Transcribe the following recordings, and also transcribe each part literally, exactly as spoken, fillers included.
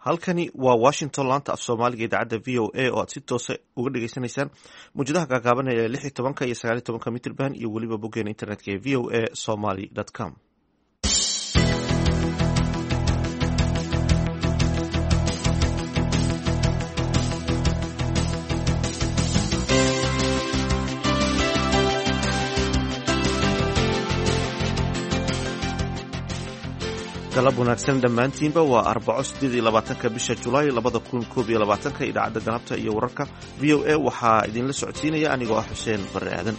Halkani waa Washington, laanta af Soomaaliga idaacadda V O A oo aad si toosa uga dhageysanaysaan muwjadaha gaagaaban ee lix iyo tobanka iyo sagaal iyo tobanka mitrban iyo weliba boggeena internetka ee V O A somaly com. Galab wanaagsan dhammaantiinba. Waa Arbaco, sideed iyo labaatanka bisha Julaay labada kun koob iyo labaatanka. Idaacadda galabta iyo wararka V O A waxaa idinla socodsiinaya anigoo ah Xuseen Barre Aadan.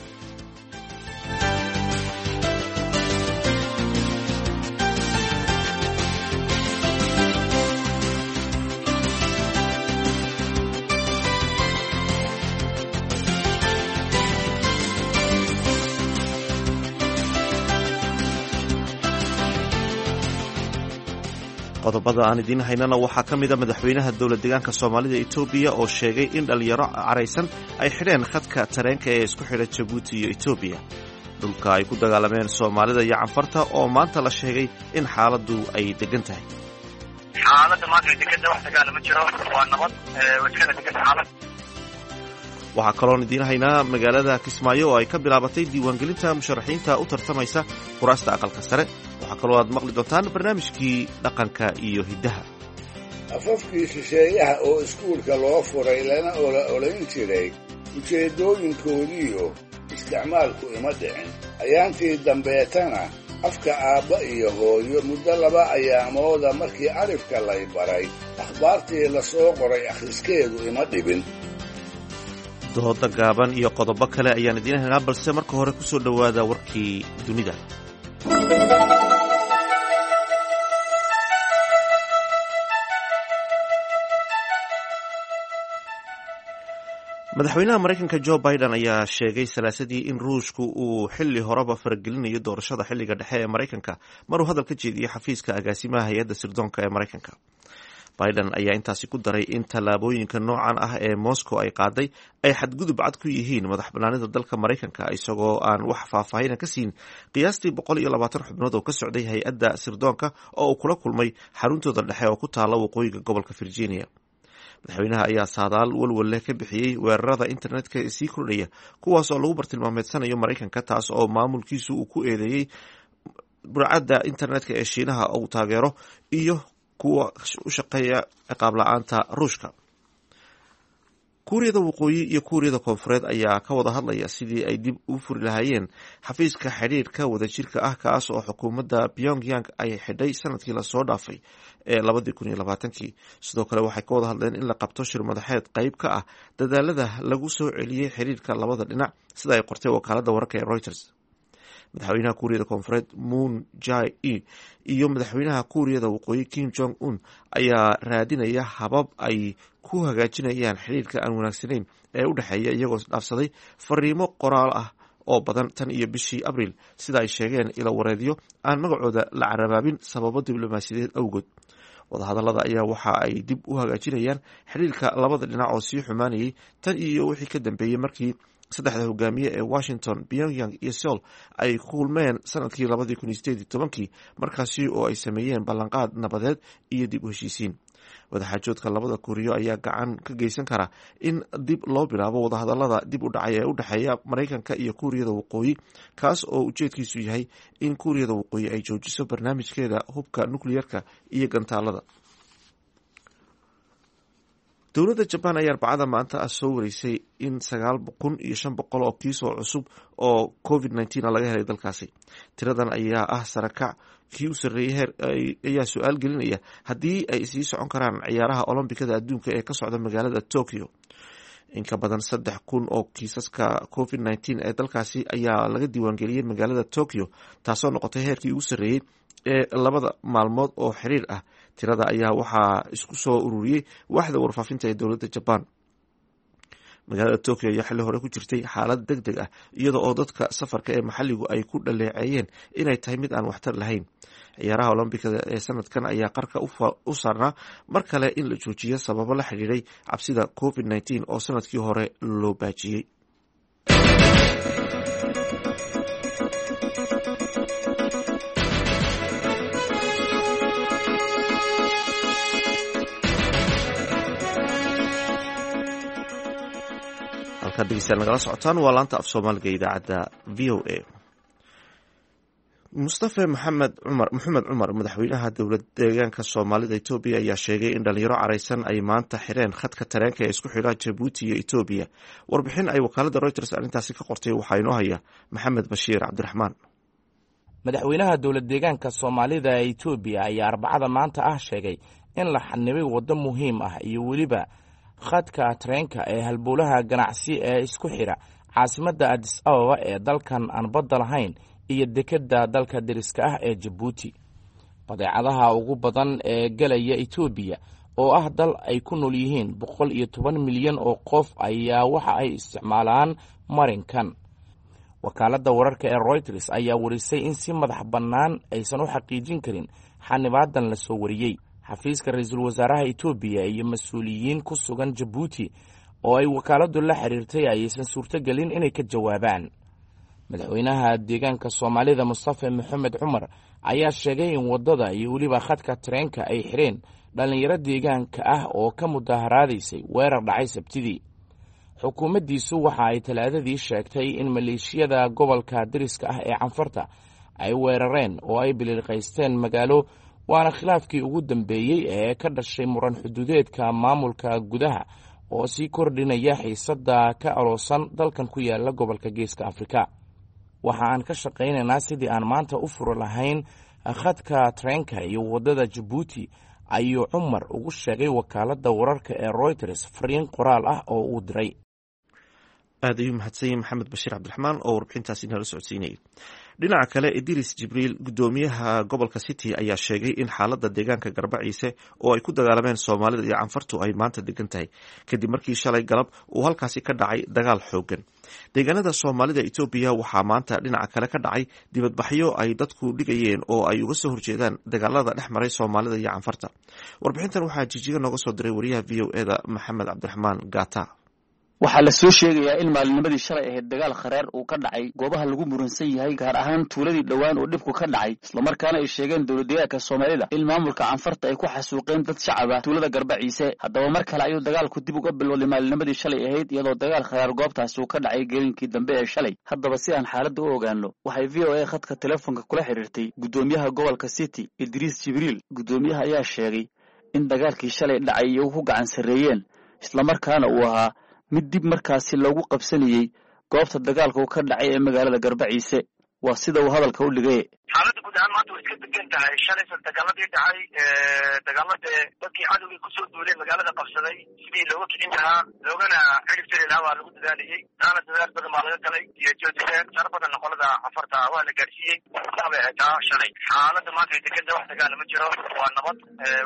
Qodobada aan idiin haynana waxaa ka mid a madaxweynaha dowlad deegaanka Soomaalida Etoobiya oo sheegay in dhalinyaro caraysan ay xidheen khadka tareenka ee isku xidha Jabuuti iyo Etoobiya, dhulka ay ku dagaalameen Soomaalida iyo Canfarta oo maanta la sheegay in xaaladdu ay degan tahay. Xaaladda maanta way deganta, wax dagaala ma jiro, waa nabad, way iskana deganta xaalad. Waxaa kaloon idiin haynaa magaalada Kismaayo oo ay ka bilaabatay diiwaangelinta musharaxiinta u tartamaysa kuraasta aqalka sare. Waxaa kaloo aad maqli doontaan barnaamijkii dhaqanka iyo hiddaha. Afafkii shisheeyaha oo iskuulka loo furay lana ola olayn jiray ujeeddooyinkoodiiyo isticmaalku ima dhicin. Ayaantii dambeetana afka aabba iyo hooyo muddo laba ayaamooda markii alifka lay baray, akhbaartii la soo qoray akhriskeedu ima dhibin. Dooda gaaban iyo qodobo kale ayaan idiin haynaa, balse marka hore ku soo dhowaada warkii dunida. Madaxweynaha Maraykanka Joe Biden ayaa sheegay Salaasadii in Ruushku uu xili horeba faragelinayo doorashada xilliga dhexe ee Maraykanka, maruu hadal ka jeediyey xafiiska agaasimaha hay-adda sirdoonka ee Maraykanka. Biden ayaa intaasi ku daray in tallaabooyinka noocan ah ee Moscow ay qaaday ay xadgudub cad ku yihiin madax banaanida dalka Maraykanka, isagoo aan wax faahfaahina ka siin qiyaastii boqol iyo labaatan xubnood oo ka socday hay-adda sirdoonka oo uu kula kulmay xaruntooda dhexe oo ku taala waqooyiga gobolka Virginia. Madaxweynaha ayaa saadaal walwal leh ka bixiyey weerarada internetka ee sii kordhaya, kuwaas oo lagu bartilmaameedsanayo Maraykanka, taas oo maamulkiisu uu ku eedeeyey burcadda internetka ee Shiinaha uu taageero iyo kuwa u shaqeeya ciqaab la-aanta Ruushka. Kuuriyada Waqooyi iyo Kuuriyada Koonfureed ayaa ka wada hadlaya sidii ay dib u furi lahaayeen xafiiska xidhiirka wadajirka ah, kaas oo xukuumadda Pyongyang ay xidhay sanadkii lasoo dhaafay ee labadii kun iyo labaatankii. Sidoo kale waxay ka wada hadleen in la qabto shir madaxeed qayb ka ah dadaalada lagu soo celiyey xiriirka labada dhinac, sida ay qortay wakaaladda wararka ee Reuters. Madaxweynaha Kuuriyada Koonfureed Moon Jae in iyo madaxweynaha Kuuriyada Waqooyi Kim Jong Un ayaa raadinaya habab ay ku hagaajinayaan xiriirka aan wanaagsanayn ee u dhexeeya, iyagoo dhaafsaday fariimo qoraal ah oo badan tan iyo bishii Abriil, sida ay sheegeen ilo wareedyo aan magacooda la carabaabin sababo diblomaasiyadeed awgood. Wadahadalada ayaa waxa ay dib u hagaajinayaan xiriirka labada dhinac oo sii xumaanayay tan iyo wixii ka dambeeyey markii saddexda hogaamiye ee Washington, Pyongyang iyo Seoul ay kulmeen sanadkii labadii kun iyo sideed iyo tobankii, markaasi oo ay sameeyeen ballanqaad nabadeed iyo dib u heshiisiin. Wadaxaajoodka labada Kuuriyo ayaa gacan ka geysan kara in dib loo bilaabo wadahadalada dib u dhacay ee u dhexeeya Maraykanka iyo Kuuriyada Waqooyi, kaas oo ujeedkiisu yahay in Kuuriyada Waqooyi ay joojiso barnaamijkeeda hubka nukliyarka iyo gantaalada. Dowladda Jabaan ayaa Arbacada maanta ah soo wareysay in sagaal kun iyo shan boqol oo kiis oo cusub oo covid nineteen laga helay dalkaasi. Tiradan ayaa ah sarakac kii u sarreeyey heer ayaa su-aal gelinaya haddii ay sii socon karaan ciyaaraha Olombikada adduunka ee ka socda magaalada Tokyo. In ka badan saddex kun oo kiisaska covid nineteen ee dalkaasi ayaa laga diiwaangeliyey magaalada Tokyo, taasoo noqotay heerkii ugu sarreeyey ee labada maalmood oo xiriir ah. Tirada ayaa waxaa isku soo ururiyey waaxda warfaafinta ee dowladda Jabaan. Magaalada Tokyo ayaa xilli hore ku jirtay xaalad deg deg ah, iyada oo dadka safarka ee maxalligu ay ku dhaleeceeyeen inay tahay mid aan waxtar lahayn. Ciyaaraha Olombikada ee sanadkan ayaa qarka u saarnaa mar kale in la joojiyo sababo la xidhiiray cabsida covid nineteen oo sanadkii hore loo baajiyey. Halkaad dhegeystayaal nagala socotaan waa laanta af Soomaaliga, idaacadda V O A. Mustafe Maxamed Cumar, Maxamed Cumar, madaxweynaha dowlad deegaanka Soomaalida Etoobiya, ayaa sheegay in dhalinyaro caraysan ay maanta xireen khadka tareenka ee isku xidha Jabuuti iyo Etoobiya. Warbixin ay wakaalada Reuters arrintaasi ka qortay waxaa inoo haya Maxamed Bashiir Cabdiraxmaan. Madaxweynaha dowlad deegaanka Soomaalida ee Etoobiya ayaa Arbacada maanta ah sheegay in la xanibay waddo muhiim ah iyo weliba khadka tareenka ee halbowlaha ganacsi ee isku xidha caasimadda Adis Ababa ee dalkan aan badda lahayn iyo dekedda dalka deriska ah ee Jabuuti. Badeecadaha ugu badan ee gelaya Etoobiya, oo ah dal ay ku nool yihiin boqol iyo toban milyan oo qof, ayaa waxa ay isticmaalaan marinkan. Wakaaladda wararka ee Reuters ayaa warisay in si madax bannaan aysan u xaqiijin karin xanibaadan la soo wariyey. Xafiiska ra-iisul wasaaraha Etoobiya iyo mas-uuliyiin ku sugan Jabuuti oo ay wakaaladdu la xiriirtay ayaysan suurtogelin inay ka jawaabaan. Madaxweynaha deegaanka Soomaalida, Mustafe Maxamed Cumar, ayaa sheegay in waddada iyo weliba khadka tareenka ay xireen dhallinyaro deegaanka ah oo ka mudaharaadaysay weerar dhacay Sabtidii. Xukuumaddiisu waxa ay Talaadadii sheegtay in maleeshiyada gobolka deriska ah ee Canfarta ay weerareen oo ay biliilqaysteen magaalo, waana khilaafkii ugu dambeeyey ee ka dhashay muran xuduudeedka maamulka gudaha oo sii kordhinaya xiisadda ka aloosan dalkan ku yaala gobolka Geeska Afrika. "Waxa aan ka shaqaynaynaa sidii aan maanta u furi lahayn khadka tareenka iyo waddada Jabuuti," ayuu Cumar ugu sheegay wakaaladda wararka ee Reuters fariin qoraal ah oo uu diray. Aad ayuu mahadsan yahay Maxamed Bashiir Cabdiraxmaan oo warbixintaasi nala socodsiinayay. Dhinaca kale, Idris Jibriil, guddoomiyaha gobolka City, ayaa sheegay in xaaladda deegaanka Garbaciise oo ay ku dagaalameen Soomaalida iyo Canfartu ay maanta degan tahay, kadib markii shalay galab uu halkaasi ka dhacay dagaal xoogan. Deegaanada Soomaalida Etoobiya waxaa maanta dhinaca kale ka dhacay dibadbaxyo ay dadku dhigayeen oo ay uga soo horjeedaan dagaalada dhex maray Soomaalida iyo Canfarta. Warbixintan waxaa Jijiga nooga soo diray wariyaha V O E da, Maxamed Cabdiraxmaan Gata. Waxaa la soo sheegayaa in maalinimadii shalay ahayd dagaal khareer uu ka dhacay goobaha lagu muransan yahay, gaar ahaan tuuladii dhowaan oo dhibku ka dhacay, islamarkaana ay sheegeen dowladdeegaanka Soomaalida in maamulka Canfarta ay ku xasuuqeen dad shacab ah tuulada Garbaciise. Haddaba mar kale ayuu dagaalku dib uga bilowday maalinimadii shalay ahayd, iyadoo dagaal kharaar goobtaasi uu ka dhacay gelinkii dambe ee shalay. Haddaba si aan xaaladda u ogaano, waxay V O A khadka telefoonka kula xiriirtay guddoomiyaha gobolka City, Idriis Jibriil. Guddoomiyaha ayaa sheegay in dagaalkii shalay dhacay iyagu ku gacan sarreeyeen, islamarkaana uu ahaa mid dib markaasi loogu qabsanayey goobta dagaalka uu ka dhacay ee magaalada Garbaciise, waa sida uu hadalka u dhigay. Xaaladda guud ahaan maanta way iska degan tahay. Shalaysa dagaaladii dhacay, dagaalade dadkii cadowgii kusoo duulay magaalada qabsaday, sidii looga kicin lahaa loogana xidhib tiri lahaa waa lagu dadaalayey. Taana dadaal badan baa laga galay iyo joojiseen sar badanna qolada Cafarta waa la gaadhsiiyey. Saa bay ahayd taa shalay. Xaaladda maanta way deganta, wax dagaala ma jiro, waa nabad,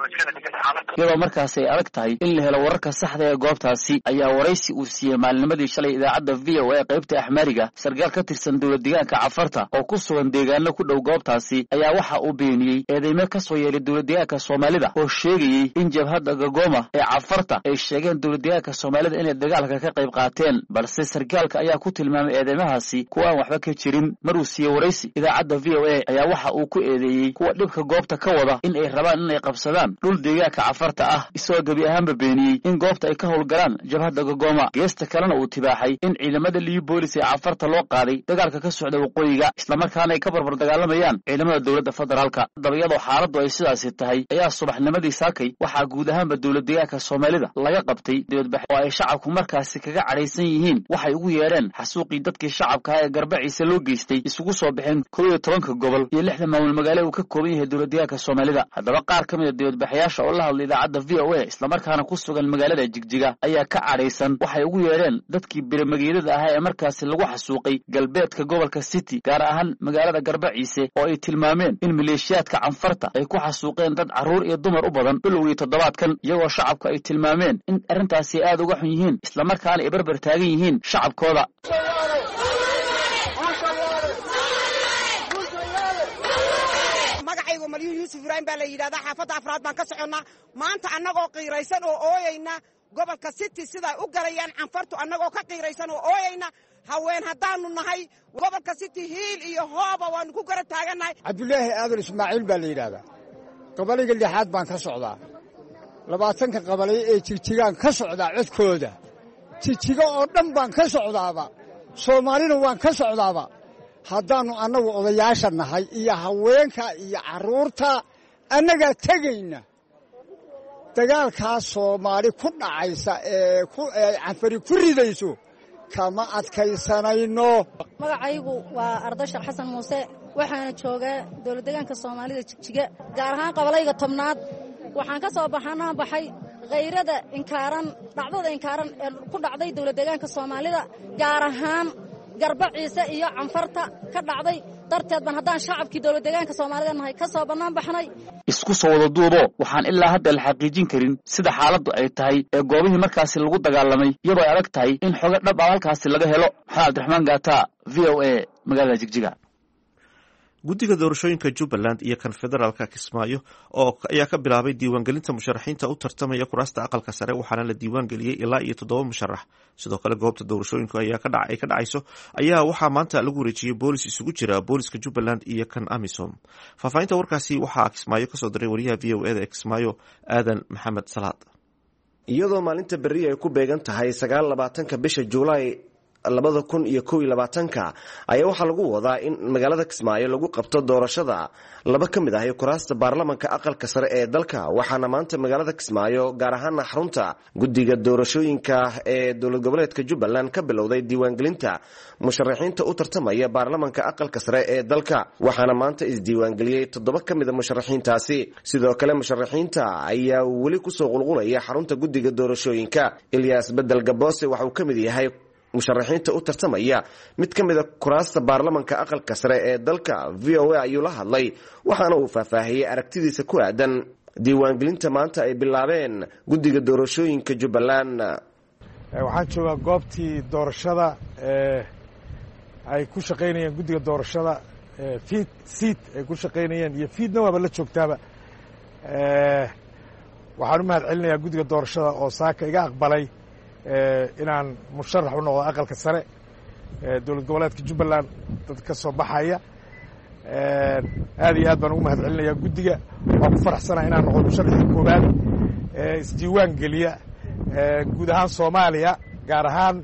way iskana deganta xaaladda. Iyadoo markaasi ay adag tahay in la helo wararka saxda ee goobtaasi, ayaa waraysi uu siiyey maalinimadii shalay idaacadda V O A qaybta Axmaariga sarkaal ka tirsan dowlad deegaanka Cafarta oo ku sugan deegaano ku dhow goobtaasi ayaa waxa uu beeniyey eedeymo ka soo yeelay dowlad deegaanka Soomaalida oo sheegayey in jabhadda Gagoma ee Cafarta ay sheegeen dowlad deegaanka Soomaalida inay dagaalka ka qayb qaateen. Balse sarkaalka ayaa ku tilmaamay eedeymahaasi kuwa aan waxba ka jirin. Maruu siiyey waraysi idaacadda V O A ayaa waxa uu ku eedeeyey kuwa dhibka goobta ka wada in ay rabaan inay qabsadaan dhul deegaanka Cafarta ah, isagoo gebi ahaanba beeniyey in goobta ay ka howlgalaan jabhadda Gagoma. Geesta kalena uu tibaaxay in ciidamada Liyu Boolis ee Cafarta loo qaaday dagaalka ka socda waqooyiga, islamarkaana ay ka barbar dagaalamayaan ciidamada dowladda federaalka. Haddaba iyadoo xaaladdu ay sidaasi tahay ayaa subaxnimadii saakay waxaa guud ahaanba dowlad deegaanka Soomaalida laga qabtay dibadbax oo ay shacabku markaasi kaga cadhaysan yihiin waxay ugu yeedheen xasuuqii dadkii shacabka ah ee Garbaciise loo geystay. Isugu soo baxeen kow iyo tobanka gobol iyo lixda maamul magaale uu ka kooban yahay dowlad deegaanka Soomaalida. Haddaba qaar ka mid a dibadbaxayaasha oo la hadlay idaacadda V O A, islamarkaana ku sugan magaalada Jigjiga, ayaa ka cadhaysan waxay ugu yeedheen dadkii biramageedada ahaa ee markaasi lagu xasuuqay galbeedka gobolka City, gaar ahaan magaalada Garbaciise, oo ay tilmaameen in maleeshiyaadka Canfarta ay ku xasuuqeen dad carruur iyo dumar u badan bilowgii toddobaadkan, iyagoo shacabka ay tilmaameen in arrintaasi aad uga xun yihiin, islamarkaana ay barbar taagan yihiin shacabkooda. Magacaygu Malyuun Yuusuf Ibraahim baa la yidhahdaa. Xaafadda afraad baan ka soconnaa. Maanta annagoo qiiraysan oo ooyayna gobolka City siday u galayaan Canfartu, annagoo ka qiiraysan oo ooyayna, haween haddaannu nahay gobolka City, hiil iyo hooba waannu ku gara taagannahay. Cabdulaahi Aadan Ismaaciil baa la yidhaahdaa. Qabaliga lixaad baan ka socdaa. Labaatanka qabalay ee Jigjigaan ka socdaa codkooda. Jijigo oo dhan baan ka socdaaba, Soomaalina waan ka socdaaba. Haddaannu annagu odayaasha nahay iyo haweenka iyo carruurta, annagaa tegayna. Dagaalkaas Soomaali ku dhacaysa ee Canfari ku ridayso kama adkaysanayno. Magacaygu waa Ardashar Xasan Muuse, waxaana joogaa dowlad deegaanka Soomaalida Jigjiga, gaar ahaan qabalayga tobnaad. Waxaan ka soo baxanaa baxay khayrada inkaaran, dhacdada inkaaran ee ku dhacday dowlad deegaanka Soomaalida, gaar ahaan Garba Ciise iyo Canfarta ka dhacday darteed baan haddaan shacabkii dowlad deegaanka Soomaalida nahay ka soo bannaan baxnay. Isku soo wada duubo, waxaan ilaa hadda la xaqiijin karin sida xaaladdu ay tahay ee goobihii markaasi lagu dagaalamay, iyadoo ay adag tahay in xogo dhab ah halkaasi laga helo. Maxamed Cabdiraxmaan Gaata, V O A, magaalada Jigjiga. Guddiga doorashooyinka Jubbaland iyo kan federaalka Kismaayo oo ayaa ka bilaabay diiwaangelinta musharaxiinta u tartamaya kuraasta aqalka sare, waxaana la diiwaangeliyey ilaa iyo toddoba musharax. Sidoo kale goobta doorashooyinku ayaa ka ay ka dhacayso ayaa waxaa maanta lagu wareejiyey boolis isugu jira booliska Jubbaland iyo kan AMISOM. Faahfaahinta warkaasi waxaa Kismaayo kasoo diray wariyaha V O E da ee Kismaayo, Aadan Maxamed Salaad. Iyadoo maalinta berri ay ku beegan tahay sagaal labaatanka bisha Juulaay labada kun iyo kow iyo labaatanka ayaa waxaa lagu wadaa in magaalada Kismaayo lagu qabto doorashada laba ka mid ah kuraasta baarlamanka aqalka sare ee dalka. Waxaana maanta magaalada Kismaayo, gaar ahaana xarunta guddiga doorashooyinka ee dowlad goboleedka Jubbaland, ka bilowday diiwaangelinta musharaxiinta u tartamaya baarlamanka aqalka sare ee dalka, waxaana maanta isdiiwaangeliyey toddoba ka mida musharaxiintaasi. Sidoo kale musharaxiinta ayaa weli kusoo qulqulaya xarunta guddiga doorashooyinka. Ilyaas Bedel Gaboose waxa uu ka mid yahay musharaxiinta u tartamaya mid ka mida kuraasta baarlamanka aqalka sare ee dalka. V O A ayuu la hadlay, waxaana uu faahfaahiyey aragtidiisa ku aadan diiwaangelinta maanta ay bilaabeen guddiga doorashooyinka Jubbaland. Waxaan joogaa goobtii doorashada ay ku shaqaynayeen guddiga doorashada fiid siid ay ku shaqaynayeen iyo fiidna waaba la joogtaaba. Waxaan u mahad celinayaa guddiga doorashada oo saaka iga aqbalay inaan musharax u noqdo aqalka sare dowlad goboleedka Jubbaland dad ka soo baxaya. Aad iyo aad baan ugu mahad celinayaa guddiga. Waan ku faraxsanaha inaan noqdo musharaxii koowaad isdiiwaan geliya guud ahaan Soomaaliya, gaar ahaan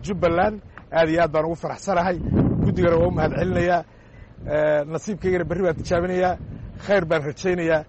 Jubbaland. Aad iyo aad baan ugu faraxsanahay, guddigana waa u mahad celinayaa. Nasiibkaygana berri baan tijaabinayaa, khayr baan rajaynayaa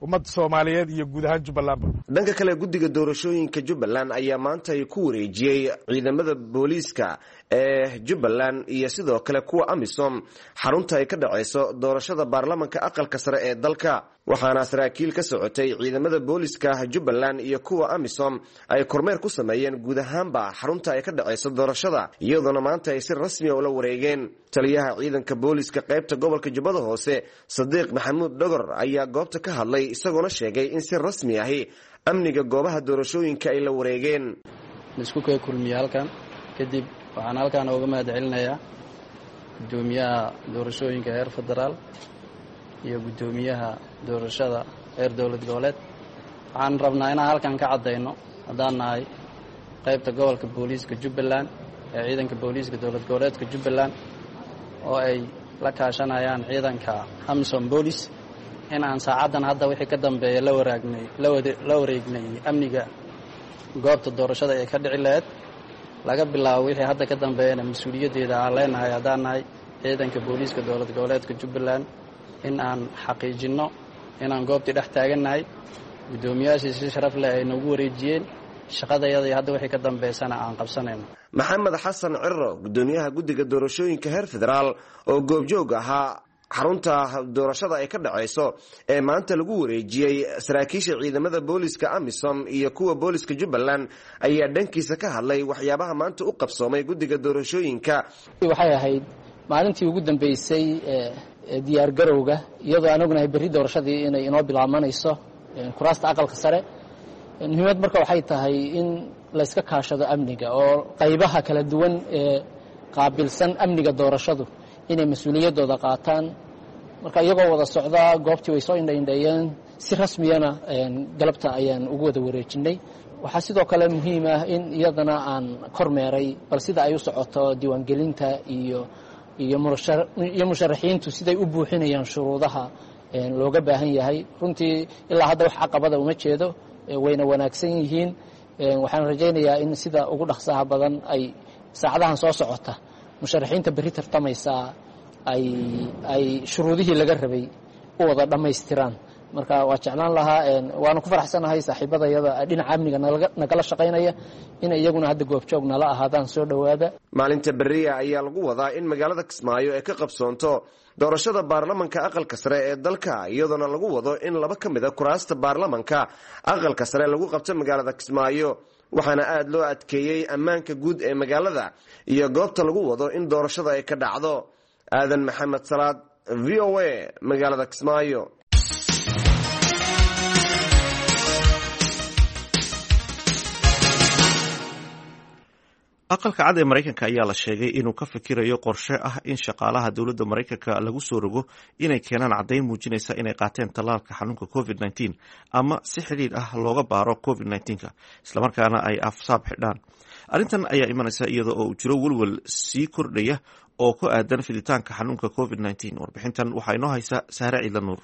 ummadda Soomaaliyeed iyo guud ahaan Jubbalandba. Dhanka kale, guddiga doorashooyinka Jubbaland ayaa maanta ay ku wareejiyey ciidamada booliiska ee Jubbaland iyo sidoo kale kuwa AMISOM xarunta ay ka dhacayso doorashada baarlamanka aqalka sare ee dalka, waxaana saraakiil ka socotay ciidamada booliiska Jubbaland iyo kuwa AMISOM ay kormeer ku sameeyeen guud ahaanba xarunta ay ka dhacayso doorashada, iyadoona maanta ay si rasmiya ula wareegeen. Taliyaha ciidanka booliiska qaybta gobolka Jubbada Hoose, Sadiiq Maxamuud Dhogor, ayaa goobta ka hadlay, isagoona sheegay in si rasmi ahi amniga goobaha doorashooyinka ay la wareegeen. Isku kee kulmiye halkan kadib, waxaan halkan uga mahad celinayaa guddoomiyaha doorashooyinka heer federaal iyo guddoomiyaha doorashada heer dowlad goboleed. Waxaan rabnaa inaan halkan ka caddayno, haddaan nahay qaybta gobolka booliiska Jubbaland ee ciidanka booliiska dowlad goboleedka Jubbaland oo ay la kaashanayaan ciidanka AMISOM boolis, in aan saacaddan hadda wixii ka dambeeya la waraagnay la wareegnay amniga goobta doorashada ee ka dhici lahayd. Laga bilaabo wixii hadda ka dambeeyana mas-uuliyaddeeda aan leenahay haddaan nahay ciidanka booliiska dowlad goboleedka Jubbaland in aan xaqiijinno inaan goobtii dhex taagannahay. Guddoomiyaashii si sharaf leh ay noogu wareejiyeen shaqadayada, hadda wixii ka dambeysana aan qabsanayno. Maxamed Xasan Ciro, guddoomiyaha guddiga doorashooyinka heer federaal oo goobjoog ahaa xarunta doorashada ay ka dhacayso ee maanta lagu wareejiyey saraakiisha ciidamada booliska AMISOM iyo kuwa booliska Jubbaland, ayaa dhankiisa ka hadlay waxyaabaha maanta u qabsoomay guddiga doorashooyinka. Waxay ahayd maalintii ugu dambeysay ee diyaargarowga, iyadoo aan ognahay berri doorashadii inay inoo bilaabanayso kuraasta aqalka sare. Muhiimad marka waxay tahay in layska kaashado amniga oo qaybaha kala duwan ee qaabilsan amniga doorashadu inay mas-uuliyaddooda qaataan. Marka iyagoo wada socdaa goobtii way soo indhaindheeyeen, si rasmiyana galabta ayaan ugu wada wareejinay. Waxaa sidoo kale muhiim ah in iyadana aan kormeeray bal sida ay u socoto diiwaangelinta iyo iyo iyo musharaxiintu siday u buuxinayaan shuruudaha looga baahan yahay. Runtii ilaa hadda wax caqabada uma jeedo, wayna wanaagsan yihiin. Waxaan rajaynayaa in sida ugu dhaqsaha badan ay saacadahan soo socota musharaxiinta berri tartamaysaa ay ay shuruudihii laga rabay u wada dhammaystiraan. Marka waa jeclaan lahaa, waanu ku faraxsanahay saaxiibadayada dhinaca amniga nagala shaqaynaya inay iyaguna hadda goobjoog nala ahaadaan. Soo dhowaada. Maalinta beriya ayaa lagu wadaa in magaalada Kismaayo ay ka qabsoonto doorashada baarlamanka aqalka sare ee dalka, iyadoona lagu wado in laba ka mid a kuraasta baarlamanka aqalka sare lagu qabto magaalada Kismaayo. Waxaana aada loo adkeeyey ammaanka guud ee magaalada iyo goobta lagu wado in doorashada ay ka dhacdo. Aadan Maxamed Salaad, V O A, magaalada Kismaayo. Aqalka Cad ee Maraykanka ayaa la sheegay inuu ka fikirayo qorshe ah in shaqaalaha dowladda Maraykanka lagu soo rogo inay keenaan caddayn muujinaysa inay qaateen tallaalka xanuunka covid nineteen ama si xidhiidh ah looga baaro covid nineteenka, islamarkaana ay afsaab xidhaan. Arrintan ayaa imanaysa iyada oo uu jiro welwel sii kordhaya oo ku aadan fiditaanka xanuunka covid nineteen. Warbixintan waxaa inoo haysa Sahre Ciidla Nuur.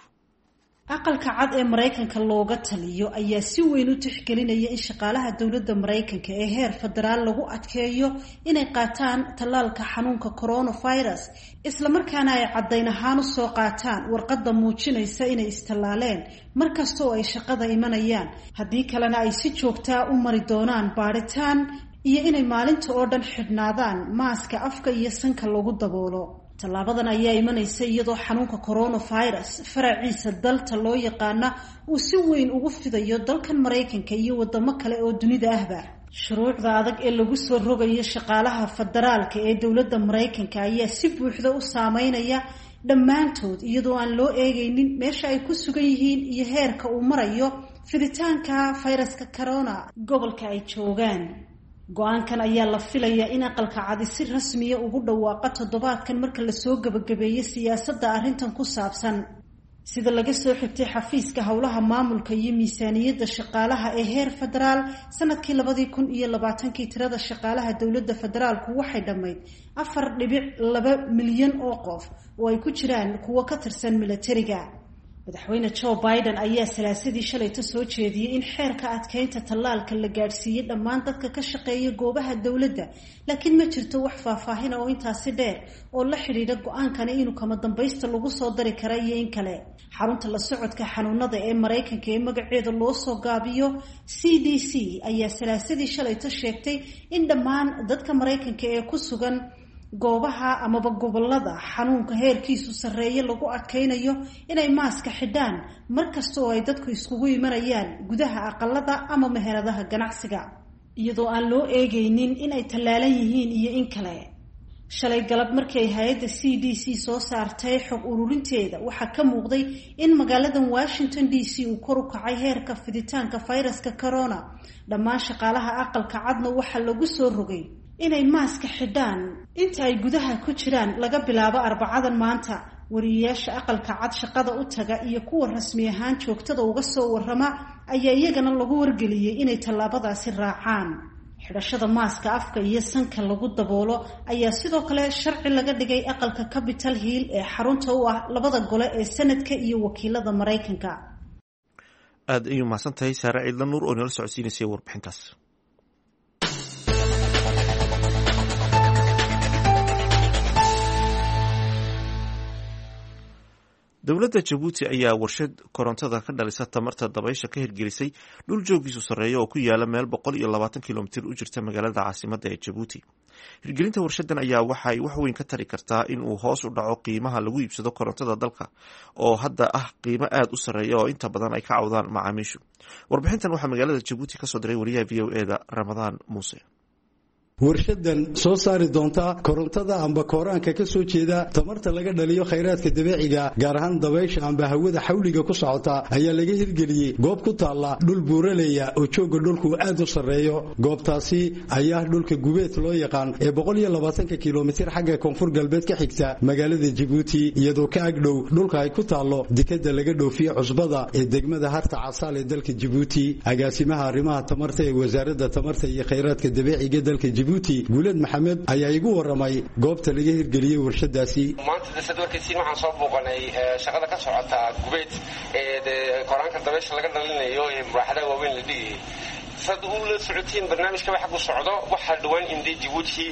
Aqalka Cad ee Maraykanka looga taliyo ayaa si weyn u tixgelinaya in shaqaalaha dowladda Maraykanka ee heer federaal lagu adkeeyo inay qaataan tallaalka xanuunka coronavirus, islamarkaana ay caddayn ahaan u soo qaataan warqadda muujinaysa inay istallaaleen markasta oo ay shaqada imanayaan, haddii kalena ay si joogtaa u mari doonaan baadhitaan iyo inay maalinta oo dhan xidhnaadaan maaska afka iyo sanka lagu daboolo. Tallaabadan ayaa imanaysa iyadoo xanuunka coronavirus faraciisa dalta loo yaqaana uu si weyn ugu fidayo dalkan Maraykanka iyo wadamo kale oo dunida ahba. Shuruucda adag ee lagu soo rogayo shaqaalaha federaalka ee dowladda Maraykanka ayaa si buuxda u saameynaya dhammaantood, iyadoo aan loo eegaynin meesha ay ku sugan yihiin iyo heerka uu marayo fiditaanka fayraska corona gobolka ay joogaan. Go-aankan ayaa la filayaa in Aqalka Cadi si rasmiya ugu dhawaaqa toddobaadkan marka lasoo gabagabeeyo siyaasadda arrintan ku saabsan. Sida laga soo xigtay xafiiska howlaha maamulka iyo miisaaniyadda shaqaalaha ee heer federaal, sanadkii labadii kun iyo labaatankii tirada shaqaalaha dowladda federaalku waxay dhammayd afar dhibic laba milyan oo qof oo ay ku jiraan kuwo ka tirsan milatariga. Madaxweyne Joe Biden ayaa salaasadii shalayta soo jeediyey in xeerka adkeynta tallaalka la gaadhsiiyey dhammaan dadka ka shaqeeya goobaha dowladda, laakiin ma jirto wax faahfaahina oo intaasi dheer oo la xidhiidha go-aankani inuu kama dambaysta lagu soo dari kara iyo in kale. Xarunta la socodka xanuunada ee Maraykanka ee magaceeda loo soo gaabiyo C D C ayaa salaasadii shalayta sheegtay in dhammaan dadka Maraykanka ee ku sugan goobaha amaba gobolada xanuunka heerkiisu sarreeye lagu adkaynayo inay maaska xidhaan mar kasta oo ay dadku iskugu imanayaan gudaha aqalada ama meheradaha ganacsiga, iyadoo aan loo eegaynin inay tallaalan yihiin iyo in kale. Shalay galab markii ay hay-adda C D C soo saartay xog ururinteeda, waxaa ka muuqday in magaaladan Washington D C uu kor u kacay heerka fiditaanka fayraska corona. Dhammaan shaqaalaha Aqalka Cadna waxaa lagu soo rogay inay maaska xidhaan inta ay gudaha ku jiraan laga bilaabo Arbacadan maanta. Wariyeyaasha Aqalka Cad shaqada u taga iyo kuwa rasmi ahaan joogtada uga soo warrama ayaa iyagana lagu wargeliyey inay tallaabadaasi raacaan. Xidhashada maaska afka iyo sanka lagu daboolo ayaa sidoo kale sharci laga dhigay aqalka Capitol Hill ee xarunta u ah labada gole ee sanadka iyo wakiilada Maraykanka. Aad ayuu mahadsan tahay Saare Ciidla Nuur oo nala socodsiinaysay warbixintaas. Dowladda Jabuuti ayaa warshad korontada ka dhalisa tamarta dabaysha ka hirgelisay dhul joogiisu sarreeya oo ku yaala meel boqol iyo labaatan kilomitir u jirta magaalada caasimadda ee Jabuuti. Hirgelinta warshadan ayaa waxay wax weyn ka tari kartaa in uu hoos u dhaco qiimaha lagu iibsado korontada dalka oo hadda ah qiimo aada u sarreeya oo inta badan ay ka cawdaan macaamiishu. Warbixintan waxaa magaalada Jabuuti kasoo diray wariyaha V O E da Ramadaan Muuse. Warshadan soo saari doonta korontada amba kooraanka ka soo jeeda tamarta laga dhaliyo khayraadka dabiiciga, gaar ahaan dabaysha amba hawada xawliga ku socota, ayaa laga hirgeliyey goob ku taalla dhul buuraleya oo joogga dhulku aad u sarreeyo. Goobtaasi ayaa dhulka gubeed loo yaqaan ee boqol iyo labaatanka kilomitir xagga koonfur galbeed ka xigta magaalada Jabuuti, iyadoo ka agdhow dhulka ay ku taallo dekadda laga dhoofiyo cusbada ee degmada Harta Casaal ee dalka Jabuuti. Agaasimaha arrimaha tamarta ee wasaaradda tamarta iyo khayraadka dabiiciga dalka Jabuuti, Guuled Maxamed, ayaa igu waramay goobta laga hirgeliyey warshadaasi. Maanta dasad warkaysiin waxaan soo booqanay shaqada ka socota Gubeed ee koraanka dabaysha laga dhalinayo ee muraaxadaha waaweyn la dhigayay. Sad u la socotiin barnaamijka waxa ku socdo waxaa dhawaan indee Jabuuti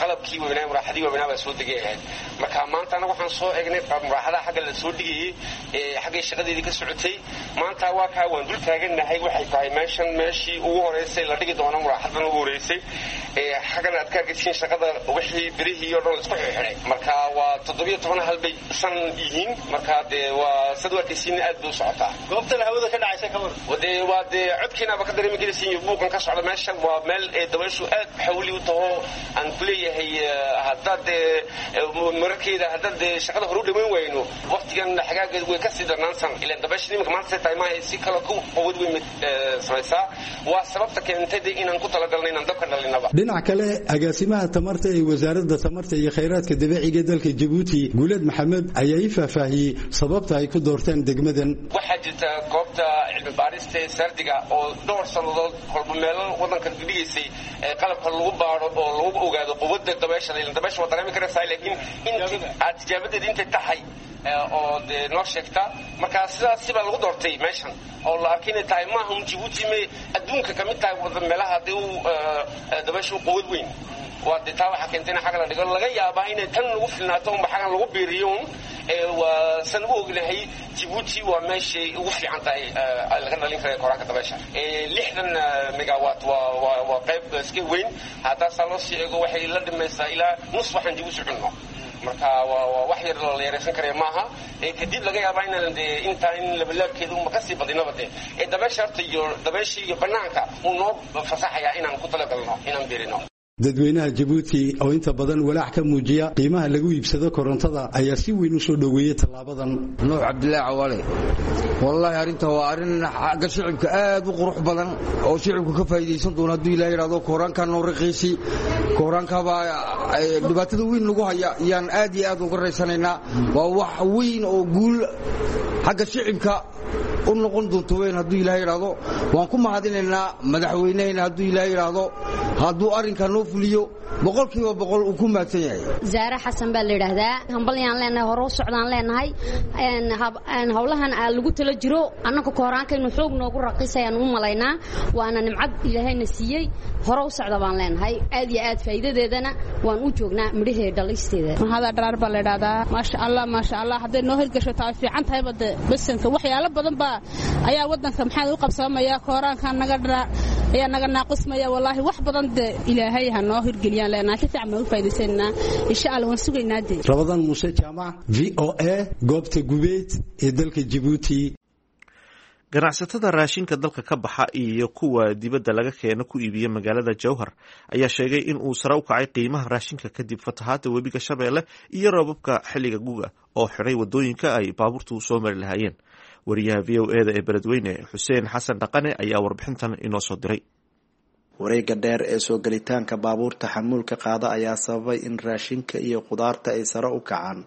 qalabkii weynaa muraaxadii weynaa baa soo degay ahayd. Marka maanta anagu waxaan soo eegnay muraaxadaha xagga la soo dhigayay ee xaggay shaqadeedii ka socotay. Maanta waa kaa waan dul taagannahay, waxay tahay meeshan meeshii ugu horeysay la dhigi doono muraaxadan ugu horeysay. Xaggana aad ka arkaysiin shaqada wixii birihii oo dhan la isku xirxiray. Marka waa toddobiyo toban hal bay san yihiin. Marka dee waa sad u arkaysiin aad bay u socotaa. Goobtan hawada ka dhacaysa ka war dee waa dee codkiinaaba ka dareemi karaysiin buuqan ka socda meesha. Waa meel ee dabayshu aad xawli u taho aan ku leeyahay haddaad dee mararkeeda haddaad dee shaqada hore u dhammayn wayno waqtigan xagaageed way kasii darnaansan ilaan dabaysha nimanka maanta tahay maaha si kale ku quwad weyn mid samaysaa. Waa sababta keentay dee inaan ku talagalnay inaan dabka dhalinaba. Dhinac kale, agaasimaha tamarta ee wasaaradda tamarta iyo khayraadka dabiiciga dalka Jabuuti Guuleed Maxamed ayaa ii faahfaahiyey sababta ay ku doorteen degmadan. Waxaa jirta goobta cilmi baarista ee sardiga oo dhowr sannadood kolba meelo wadanka dhigaysay qalabka lagu baaro oo lagu ogaado quwadda dabaysha. Ilaan dabaysha waa dareemi karaysaa, laakiin inti aad tijaabadeeda intay tahay oo dee noo sheegta. Marka sidaas sibaa lagu doortay meeshan oo la arkay inay tahay maaha un Jabuuti me adduunka ka mid tahay wadan meelaha dee u dabaysha u quwad weyn. Waa dee taa waxaa keentay in xagga la dhigo. Laga yaabaa inay tan lagu filnaato unba xaggan lagu biiriyo un. Waa san u ognahay Jabuuti waa meeshay ugu fiican tahay laga dhalin karayo koraanka dabaysha. Lixdan megawatt waa waa waa qayb iska weyn. Haddaasaa loo sii eego waxay la dhimaysaa ilaa nus waxaan Jabuuti cunno. Marka waa waa wax yar la yaraysan karaya maaha. Kadib laga yaabaa inaan dee intaa in labalaabkeeda uma kasii badinaba dee ee dabaysha horta iyo dabaysha iyo banaanka uu noo fasaxayaa inaan ku talagalno inaan biirino. Dadweynaha Jabuuti oo inta badan walaac ka muujiya qiimaha lagu iibsado korontada ayaa si weyn u soo dhoweeyey tallaabadan. Nuux Cabdilaahi Cawaale, wallaahi arrinta waa arrin xagga shicibka aad u qurux badan oo shicibku ka faa'iidaysan doono hadduu Ilaahay yidhaahdo. Kooraankaa noo raqiisi, kooraankaabaa dhibaatada weyn nagu haya yaan aad iyo aad uga raysanaynaa. Waa wax weyn oo guul xagga shicibka u noqon doonto weyn hadduu Ilaahay yidhaahdo. Waan ku mahadinaynaa madaxweynehayna hadduu Ilaahay yidhaahdo, hadduu arrinkaa noo fuliyo boqolkiiba boqol uu ku mahadsan yahay. Zaare Xasan baa la yidhaahdaa. Hambalyaan leenahay, hore u socdaan leenahay. Howlahan aa lagu tala jiro annaka kooraankaynu xoog noogu raqiisayaan u malaynaa. Waana nimcad Ilaahayna siiyey, hore u socda baan leenahay. Aad iyo aad faa'iidadeedana waan u joognaa midhaheeda dhalisteeda. Mahada dharaar baa la yidhaahdaa. Maasha Allah, maasha Allah, hadday noo hirgasho taa fiican tahayba de basanka waxyaalo badan baa ayaa waddanka maxaa u qabsamaya. Kooraanka naga dharaa ayaa naga naaqusmaya. Wallaahi wax badan de Ilaahay ha noo hirgeliyaan leenahay, si fiican baan u faa'iidaysanaa insha Allah, waan sugaynaa de. Ramadaan Muuse Jaamac, V O A, goobta Gubeed ee dalka Jabuuti. Ganacsatada raashinka dalka ka baxa iyo kuwa dibadda laga keeno ku iibiya magaalada Jowhar ayaa sheegay in uu sare u kacay qiimaha raashinka kadib fatahaadda webiga Shabeelle iyo roobabka xilliga guga oo xidhay wadooyinka ay baabuurtu soo mari lahaayeen. Wariyaha V O E da ee beledweyne Xuseen Xasan Dhaqane ayaa warbixintan inoo soo diray. Wareegga dheer ee soo gelitaanka baabuurta xamuulka qaada ayaa sababay in raashinka iyo khudaarta ay sare u kacaan.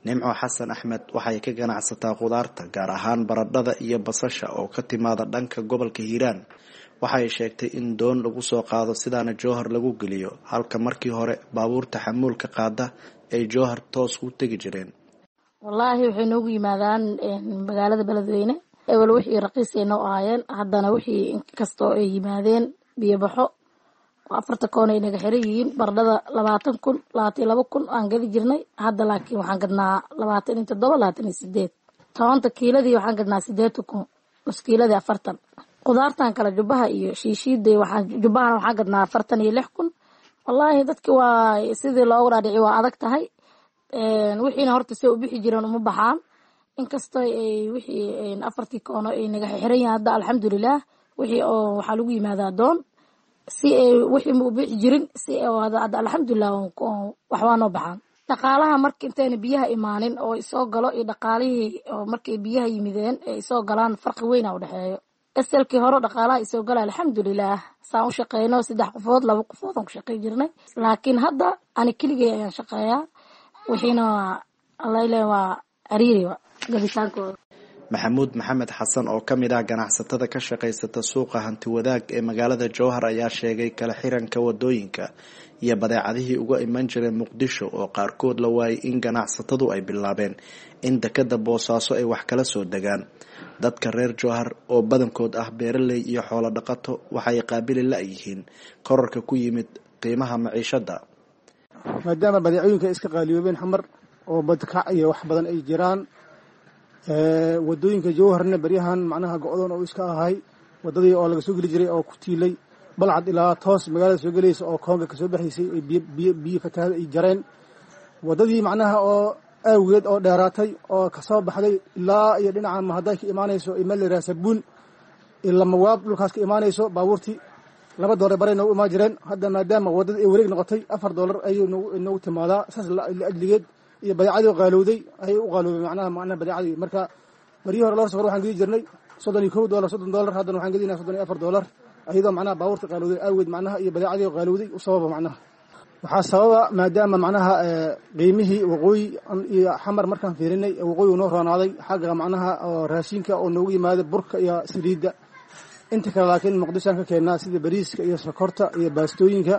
Nimco Xasan Axmed waxay ka ganacsataa khudaarta, gaar ahaan baradhada iyo basasha oo ka timaada dhanka gobolka Hiiraan. Waxay sheegtay in doon lagu soo qaado sidaana Jowhar lagu geliyo, halka markii hore baabuurta xamuulka qaada ay Jowhar toos u tegi jireen. Wallaahi waxay noogu yimaadaan magaalada Beledweyne. Ewel wixii raqiis ay noo ahaayeen, haddana wixii inkastoo ay yimaadeen biyobaxo afarta koon ay naga xiran yihiin. Baradhada labaatan kun, labaatan iyo laba kun aan gadi jirnay, hadda laakiin waxaan gadnaa labaatan iyo toddoba, labaatan iyo sideed. Tobanka kiiladii waxaan gadnaa sideetan kun, nus kiiladii afartan. Khudaartan kale jubbaha iyo shiishiida waxaan jubbahana waxaan gadnaa afartan iyo lix kun. Wallaahi dadki waa sidii loogu dhaadhici waa adag tahay. Wixiina horta si u bixi jireen uma baxaan, inkastoo ay wixii afartii koono ay naga xiran yihiin hadda alxamdulilah. Wixii oo waxaa lagu yimaadaa doon si ay wixii ma u bixi jirin si hadda alxamdulilah waxbaa noo baxaan. Dhaqaalaha marka intayna biyaha imaanin oo isoo galo iyo dhaqaalihii oo markay biyaha yimideen ee isoo galaan farqi weyn a u dhexeeyo. Asalkii hore dhaqaalaha isoo gala alxamdulilah saan u shaqeyno saddex qofood laba qofood aan ku shaqey jirnay, laakiin hadda ani keligay ayaan shaqeeyaa. Wixiina allaile waa cariiriba gabitaankooda. Maxamuud Maxamed Xasan oo ka mid ah ganacsatada ka shaqaysata suuqa hanti wadaag ee magaalada Jowhar ayaa sheegay kala xiranka wadooyinka iyo badeecadihii uga iman jiray Muqdisho oo qaarkood la waayay in ganacsatadu ay bilaabeen in dekada Boosaaso ay wax kala soo degaan. Dadka reer Jowhar oo badankood ah beeraley iyo xoolo dhaqato waxay qaabili la'yihiin kororka ku yimid qiimaha maciishada. Maadaama badeecooyinka iska qaaliyoobeen xamar oo badkac iyo wax badan ay jiraan, wadooyinka Jowharna beryahan macnaha go'doon oo iska ahay, wadadii oo laga soo geli jiray oo ku tiilay Balcad ilaa toos magaalada soo gelaysa oo koonga kasoo baxaysay ay biyo biyo fatahaad ay jareen, wadadii macnaha oo awgeed oo dheeraatay oo kasoo baxday ilaa iyo dhinaca Mahaday ka imaanayso meel la yidhaha Sabuun ila Mawaab dhulkaas ka imaanayso, baabuurtii laba doolar baray noogu imaan jireen. Hadda maadaama wadada ay wareeg noqotay afar doolar ayay noogu timaadaa. Saas laajligeed iyo badeecadii qaalowday ayay u qaaloobay macnaha macnaha badeecadii. Marka baryihii hore loor safar waxaan gedi jirnay soddon iyo kow doolar, soddon doolar, haddana waxaan gedinaa soddon iyo afar doolar, iyadoo macnaha baabuurta qaalowday awgeed macnaha iyo badeecadii qaalowday u sababa macnaha. Waxaa sababa maadaama macnaha qiimihii waqooyi iyo xamar markaan fiirinay waqooyi noo roonaaday xagga macnaha oo raashinka oo noogu yimaada burka iyo saliidda, inta kale laakiin Muqdishoan ka keennaa sida bariiska iyo sokorta iyo baastooyinka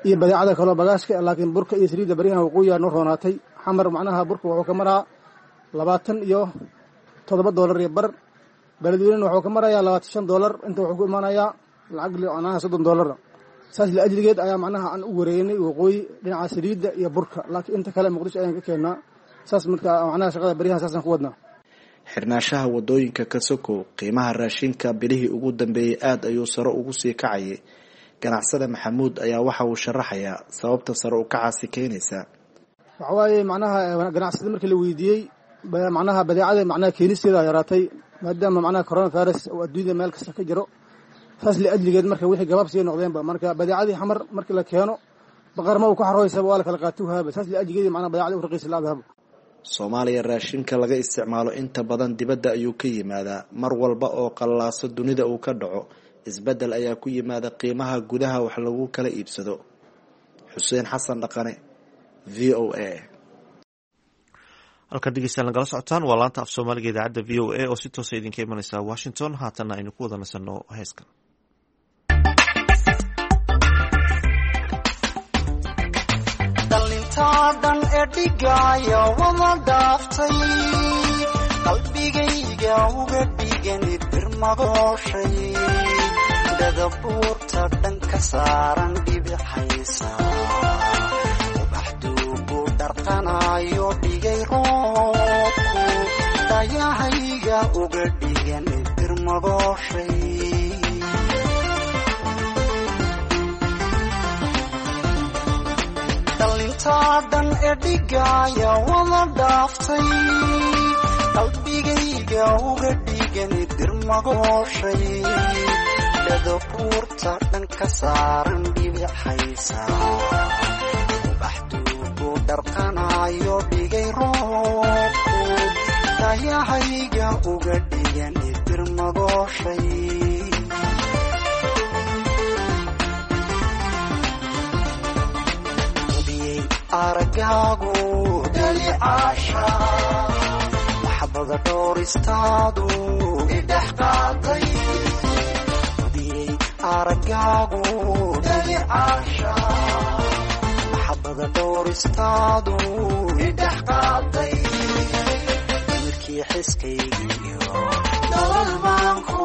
iyo badeecada kaloo bagaashka, laakiin burka iyo saliidda baryahan waqooyiyaa noo roonaatay. Xamar macnaha burka wuxuu ka maraa labaatan iyo toddoba doolar iyo bar, Beledweynena wuxuu ka marayaa labaatan shan doolar, inta wuxuu ku imaanayaa lacag macnaha soddon doolar. Saas laajligeed ayaa macnaha aan u wareegnay waqooyi dhinaca saliidda iyo burka, laakiin inta kale Muqdisho ayaan ka keennaa. Saas marka macnaha shaqada baryahan saasaan ku wadnaa. Xirnaanshaha wadooyinka ka sokow, qiimaha raashinka bilihii ugu dambeeyey aada ayuu sare ugu sii kacayay. Ganacsade Maxamuud ayaa waxa uu sharaxayaa sababta sare u kacaasi keenaysa. Waxa waaye macnaha ganacsada markii la weydiiyey macnaha badeecada macnaha keenisteeda yaraatay maadaama macnaha coronavirus oo adduunyada meel kasta ka jiro, saas laajligeed marka wixii gabaab sii noqdeenba marka badeecadii xamar markii la keeno baqarma uu ku xarooysaba waa la kala qaatuhaaba, saas laajligeed macnaha badeecadii u raqiis laadahaba. Soomaaliya raashinka laga isticmaalo inta badan dibadda ayuu ka yimaadaa. Mar walba oo qallaaso dunida uu ka dhaco, isbeddel ayaa ku yimaada qiimaha gudaha wax lagu kala iibsado. Xuseen Xasan Dhaqane, V O A. Halkan dhegeystayaal nagala socotaan waa laanta af Soomaaliga idaacadda V O A oo si toosa idinka imanaysa Washington. Haatanna aynu ku wada nasanno heeskan. Dhallintaa dhan ee dhigaya wada dhaaftay, qalbigayga uga dhigani birmagooshay, dhadabuurta dhan ka saaran dhibixaysa, ubaxduugu dharqanayo dhigay roobku, dayahayga uga dhigani birmagooshay. Dhallintaa dhan ee dhigaya wada dhaaftay, qalbigayga uga dhigani dirmagooshay, dhadabuurta dhan ka saaran dhibixaysa, ubaxduugu dharqanayo dhigay roobku, dayahayga uga dhigani dirmagooshay. Aragaagu dhalicaasha maxabada dhowristaadu idhex qaaday, hudiyey aragaagu dhalicaasha maxabada dhowristaadu idhex qaaday, nimirkii xiskaygiyo nolol maanku,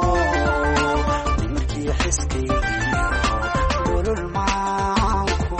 nimirkii xiskaygiyo nolol maanku.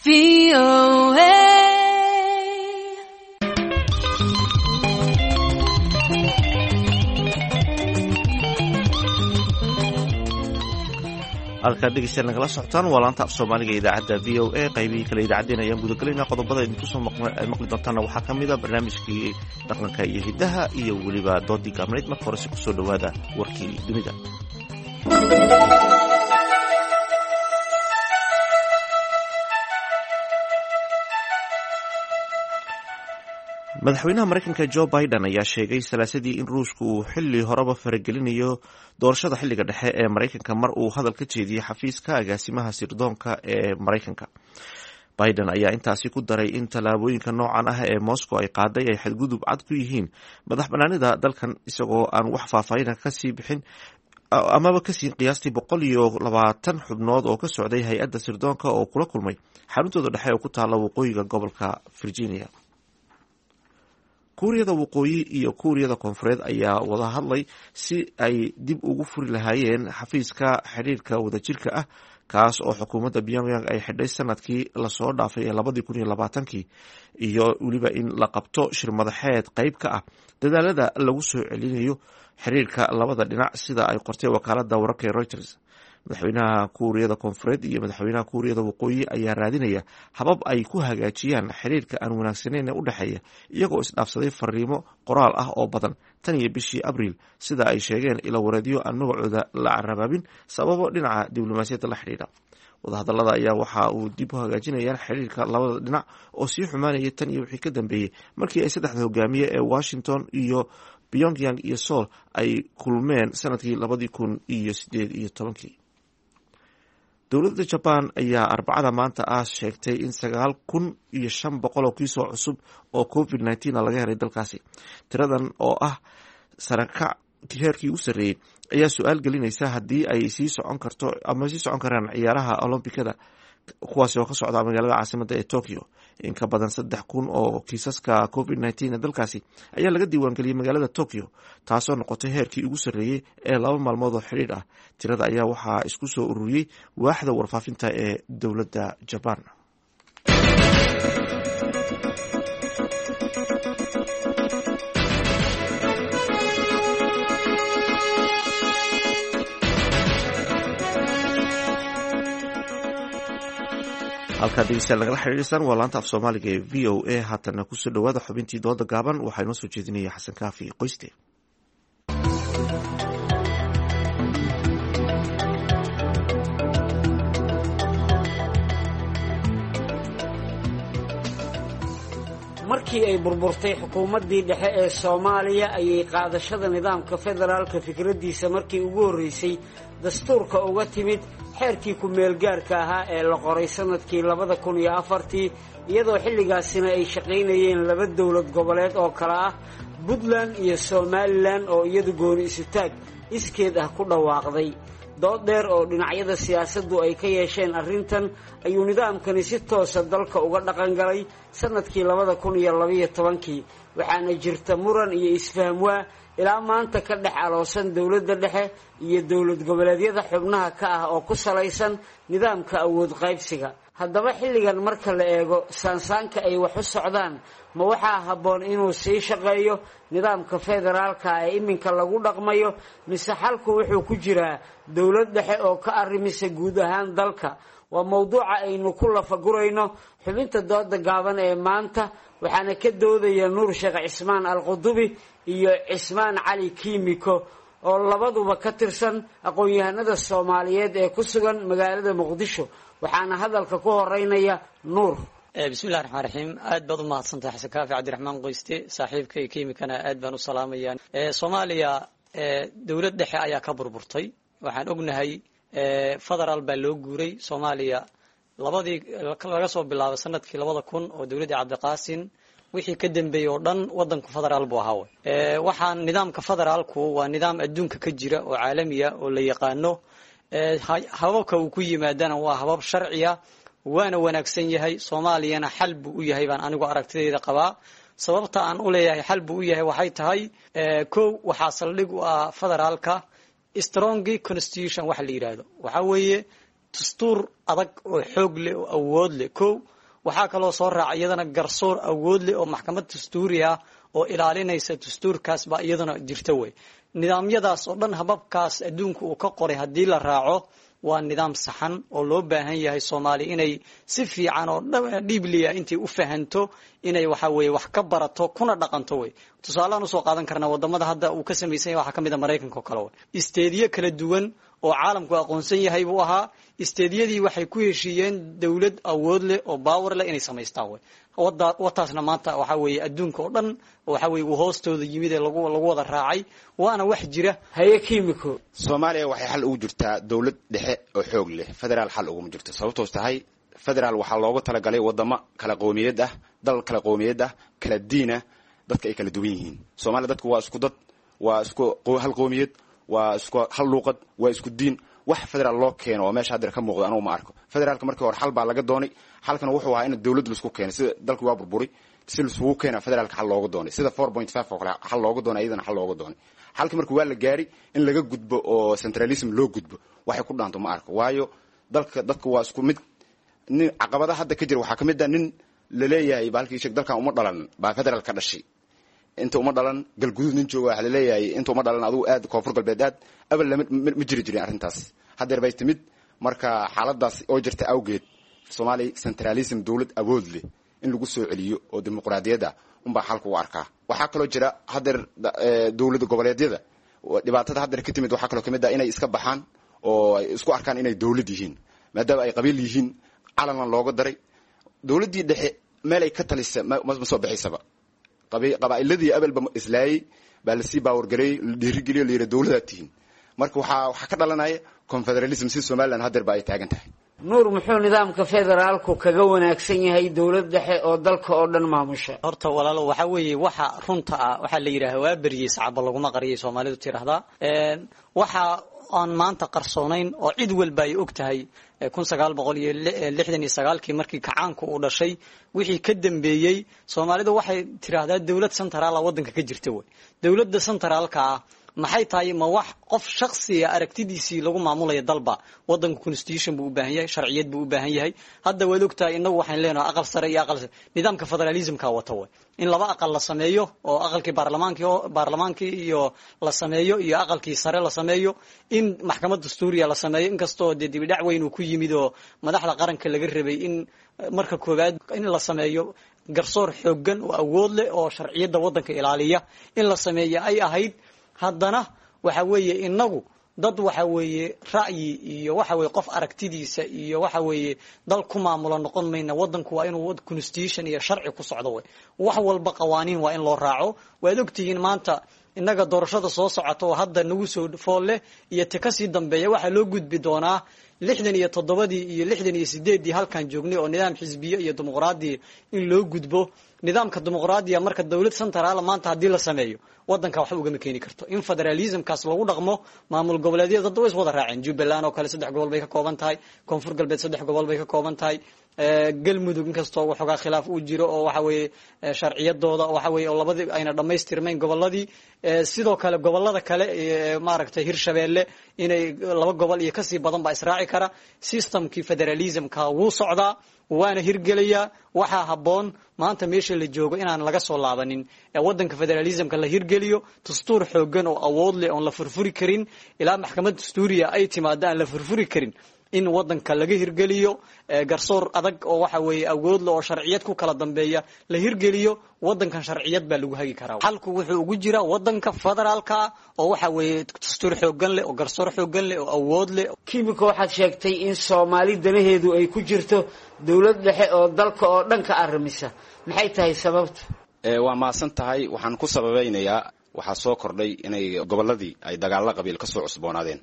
V O A. Halkaad dhegeystayaal nagala socotaan waa laanta af Soomaaliga idaacadda V O A. Qaybihii kale idaacaddeen ayaan gudagelaynaa. Qodobada idinku soo maqli doontaana waxaa ka mid a barnaamijkii dhaqanka iyo hiddaha iyo weliba doodii gaabnayd. Marka horese kusoo dhowaada warkii dunida. Madaxweynaha Maraykanka Joe Biden ayaa sheegay salaasadii in Ruushku uu xilli horeba faragelinayo doorashada xilliga dhexe ee Maraykanka mar uu hadal ka jeediyey xafiiska agaasimaha sirdoonka ee Maraykanka. Biden ayaa intaasi ku daray in tallaabooyinka noocan ah ee Moscow ay qaaday ay xadgudub cad ku yihiin madax banaanida dalkan, isagoo aan wax faahfaahina kasii bixin amaba kasii qiyaastii boqol iyo labaatan xubnood oo ka socday hay-adda sirdoonka oo kula kulmay xaruntooda dhexe oo ku taalla waqooyiga gobolka Virginia. Kuuriyada Waqooyi iyo Kuuriyada Koonfureed ayaa wada hadlay si ay dib ugu furi lahaayeen xafiiska xidhiirka wadajirka ah, kaas oo xukuumadda Pyongyang ay xidhay sanadkii lasoo dhaafay ee labadii kun iyo labaatankii, iyo weliba in la qabto shir madaxeed qeyb ka ah dadaalada lagu soo celinayo xiriirka labada dhinac, sida ay qortay wakaalada wararka ee Reuters. Madaxweynaha Kuuriyada Koonfureed iyo madaxweynaha Kuuriyada Waqooyi ayaa raadinaya habab ay ku hagaajiyaan xiriirka aan wanaagsaneyn ee u dhexeeya, iyagoo isdhaafsaday fariimo qoraal ah oo badan tan iyo bishii Abriil, sida ay sheegeen ilawareedyo aan magacooda la carabaabin sababo dhinaca diblomaasiyadda la xidhiidha. Wadahadalada ayaa waxa uu dib u hagaajinayaan xiriirka labada dhinac oo sii xumaanayay tan iyo wixii ka dambeeyey markii ay saddexda hogaamiye ee Washington iyo Pyongyang iyo Seoul ay kulmeen sanadkii labadii kun iyo sideed iyo tobankii. Dowladda Jaban ayaa Arbacada maanta ah sheegtay in sagaal kun iyo shan boqol oo kiisoo cusub oo covid nineteen laga helay dalkaasi. Tiradan oo ah sarakac heerkii u sarreeyey ayaa su-aal gelinaysa haddii ay sii socon karto ama sii socon karaan ciyaaraha Olombikada, kuwaasi oo ka socda magaalada caasimadda ee Tokyo. In ka badan saddex kun oo kiisaska covid nineteen ee dalkaasi ayaa laga diiwaangeliyey magaalada Tokyo, taasoo noqotay heerkii ugu sarreeyey ee laba maalmood oo xidhiidh ah. Tirada ayaa waxaa isku soo ururiyey waaxda warfaafinta ee dowladda Jaban. Halkaad dhegeystayaal nagala xiriirsaan waa laanta af Soomaaliga ee V O A. Haatana kusoo dhawaada xubintii dooda gaaban. Waxaa inoo soo jeedinaya Xasan Kaafi Qoyste. Markii ay burburtay xukuumaddii dhexe ee Soomaaliya ayay qaadashada nidaamka federaalka fikraddiisa markii ugu horreysay dastuurka uga timid xeerkii ku-meelgaarka ahaa ee la qoray sannadkii labada kun iyo afartii, iyadoo xilligaasina ay shaqaynayeen laba dowlad goboleed oo kale ah Puntland iyo Somalilan oo iyadu gooni isutaag iskeed ah ku dhawaaqday. Dood dheer oo dhinacyada siyaasaddu ay ka yeesheen arrintan ayuu nidaamkani si toosa dalka uga dhaqangalay sannadkii labada kun iyo labaiyo tobankii, waxaana jirta muran iyo isfahmwaa ilaa maanta ka dhex aloosan dowladda dhexe iyo dowlad goboleedyada xubnaha ka ah oo ku salaysan nidaamka awood qaybsiga. Haddaba xilligan marka la eego saansaanka ay wax u socdaan, ma waxaa habboon inuu sii shaqeeyo nidaamka federaalka ee iminka lagu dhaqmayo, mise xalku wuxuu ku jiraa dowlad dhexe oo ka arrimisa guud ahaan dalka? Waa mowduuca aynu ku lafagurayno xubinta dooda gaaban ee maanta, waxaana ka doodaya Nuur Sheekh Cismaan Alqudubi iyo Cismaan Cali Kiimiko oo labaduba ka tirsan aqoon-yahanada Soomaaliyeed ee ku sugan magaalada Muqdisho. Waxaana hadalka ku horeynaya Nuur. Bismillahi raxmaan raxiim. Aad baad u mahadsantahay Xasan Kaafi Cabdiraxmaan Qoyste, saaxiibkay Kiimikana aad baan u salaamayaa. Soomaaliya dowlad dhexe ayaa ka burburtay, waxaan ognahay federaal baa loo guuray. Soomaaliya labadii laga soo bilaabo sanadkii labada kun oo dowladda Cabdiqaasin wixii ka dambeeyey oo dhan wadanku federaal buu ahaa. Waxaan nidaamka federaalku waa nidaam adduunka ka jira oo caalamiya oo la yaqaano, hababka uu ku yimaadana waa habab sharciya, waana wanaagsan yahay. Soomaaliyana xal buu u yahay baan anigu aragtidayda qabaa. Sababta aan u leeyahay xal buu u yahay waxay tahay, kow, waxaa saldhig u ah federaalka strong constitution waxa la yidhaahdo, waxaa weeye dastuur adag oo xoog leh oo awood leh. Kow, waxaa kaloo soo raaca iyadana garsoor awood leh oo maxkamad dastuuri ah oo ilaalinaysa dastuurkaas baa iyadana jirta wey. Nidaamyadaas oo dhan hababkaas adduunka uu ka qoray haddii la raaco, Waa nidaam saxan oo loo baahan yahay Soomaaliya inay si fiican oo dhiibliya intay u fahanto, inay waxa weeye wax ka barato kuna dhaqanto. Wey tusaalehaan usoo qaadan karnaa wadamada hadda uu ka samaysan yahay waxaa ka mid a Maraykanka oo kale. Wey isteediyo kala duwan oo caalamku aqoonsan yahay buu ahaa. Isteediyadii waxay ku heshiiyeen dowlad awood leh oo power leh inay samaystaan. Wey wada wataasna maanta waxa weeye adduunka oo dhan waxa weeye uu hoostooda yimid ee lagu lagu wada raacay, waana wax jira. Haye Kiimiko. Soomaaliya waxay xal ugu jirtaa dowlad dhexe oo xoog leh, federaal xal uguma jirto. Sababtoos tahay, federaal waxaa loogu talagalay wadamo kala qowmiyad ah, dal kala qowmiyad ah, kala diin ah, dadka ay kala duwan yihiin. Soomaaliya dadku waa isku dad, waa isku hal qowmiyad, waa isku hal luuqad, waa isku diin. Wax federaal loo keeno oo meesha hadda ka muuqda anugu ma arko. Federaalka markii hore xal baa laga doonay, xalkana wuxuu ahaa in dowlad laisku keenay. Sida dalku waa burburi si laisugu keena federaalka xal looga doonay, sida four point five oo kale xal looga doonay, iyadana xal looga doonay. Xalkii markii waa la gaari in laga gudbo oo centralism loo gudbo, waxay ku dhaanto ma arko, waayo dalka dadku waa isku mid. Nin caqabadaha hadda ka jira waxaa ka mid ah nin laleeyahay bahalkii sheeg dalkan uma dhalan baa federaal ka dhashay, inta uma dhalan Galguduud nin jooga waxaa laleeyahay inta uma dhalan adigu aad Koonfur Galbeed aad. Abal lama ma jiri jirin arrintaas, haddeer bay timid. Marka xaaladaas oo jirta awgeed, Soomaaliya centralism dowlad awood leh in lagu soo celiyo oo dimuqraadiyadda unbaa xalka u arkaa. Waxaa kaloo jira haddeer dowlad goboleedyada dhibaatada haddeer ka timid waxaa kaloo kamid ah inay iska baxaan oo ay isku arkaan inay dowlad yihiin, maadaama ay qabiil yihiin, calanna looga daray. Dowladdii dhexe meel ay ka talisa ma ma soo bixisaba. Qabaa'iladii abelba islaayay baa lasii baawargareeyey, la dhiirigeliyo, la yidhi dowladaad tihiin. Marka waxaa waxaa ka dhalanaya confederalism si Somaliland haddeer ba ay taagan tahay. Nuur, muxuu nidaamka federaalku kaga wanaagsan yahay dowlad dhexe oo dalka oo dhan maamusha? Horta walaalo, waxa weeye waxa runta ah waxaa la yidhaha waa beriyey sacaba laguma qariyay Soomaalidu tiraahdaa. Waxa aan maanta qarsoonayn oo cid walba ay og tahay, kun sagaal boqol iyo lixdan iyo sagaalkii markii kacaanku uu dhashay wixii ka dambeeyey, Soomaalidu waxay tiraahdaa dowlad centraala waddanka ka jirta. Wey dowladda centraalka ah maxay tahay? Ma wax qof shaksiga aragtidiisii lagu maamulayo dalba? Wadanka constitution buu u baahan yahay, sharciyad buu u baahan yahay. Hadda waad ogtahay innagu waxaan leenahay aqal sare iyo aqal nidaamka federalismka wata, way in laba aqal la sameeyo oo aqalkii baarlamaankii baarlamaankii iyo la sameeyo iyo aqalkii sare la sameeyo, in maxkamad dastuuriya la sameeyo, inkastoo dee dibidhac weyn uu ku yimid oo madaxda qaranka laga rabay in marka koowaad in la sameeyo garsoor xooggan oo awood leh oo sharciyadda waddanka ilaaliya in la sameeyo ay ahayd. Haddana waxa weeye inagu dad waxa weeye ra'yi iyo waxa weeye qof aragtidiisa iyo waxa weeye dal ku maamula noqon mayna. Wadanku waa inuu constitution iyo sharci ku socdo. Wey wax walba qawaaniin waa in loo raaco. Waad ogtihiin maanta innaga doorashada soo socota oo hadda nagu soo fool leh iyo ta kasii dambeeya waxaa loo gudbi doonaa lixdan iyo toddobadii iyo lixdan iyo sideeddii halkaan joognay oo nidaam xisbiye iyo dimuqraadi in loo gudbo. Nidaamka dimuqraadiya marka dowlad centraala maanta haddii la sameeyo wadanka waxba ugama keeni karto. In federalismkaas lagu dhaqmo, maamul goboleedyada dadda way is wada raaceen. Jubbaland oo kale saddex gobol bay ka kooban tahay, Koonfur Galbeed saddex gobol bay ka kooban tahay, Galmudug inkastoo waxoogaa khilaaf uu jiro oo waxa weeye sharciyadooda waxa weeye oo labadii ayna dhammaystirmayn gobolladii. Sidoo kale gobollada kale maaragtay Hirshabeelle inay laba gobol iyo kasii badan baa israaci kara. Systemkii federalismka wuu socdaa waana hirgelayaa. Waxaa habboon maanta meesha la joogo inaan laga soo laabanin ee wadanka federalismka la hirgeliyo, dastuur xooggan oo awood leh oon la furfuri karin ilaa maxkamad dastuuriya ay timaado aan la furfuri karin in wadanka laga hirgeliyo, garsoor adag oo waxa weeye awood leh oo sharciyad ku kala dambeeya la hirgeliyo. Wadankan sharciyad baa lagu hagi karaa. Xalku wuxuu ugu jiraa wadanka federaalka oo waxa weeye dastuur xooggan leh oo garsoor xooggan leh oo awood leh. Kiimiko, waxaad sheegtay in Soomaali danaheedu ay ku jirto dowlad dhexe oo dalka oo dhan ka arrimisa. Maxay tahay sababta? Waa mahadsan tahay. Waxaan ku sababeynayaa waxaa soo kordhay inay gobolladii ay dagaalla qabiil kasoo cusboonaadeen.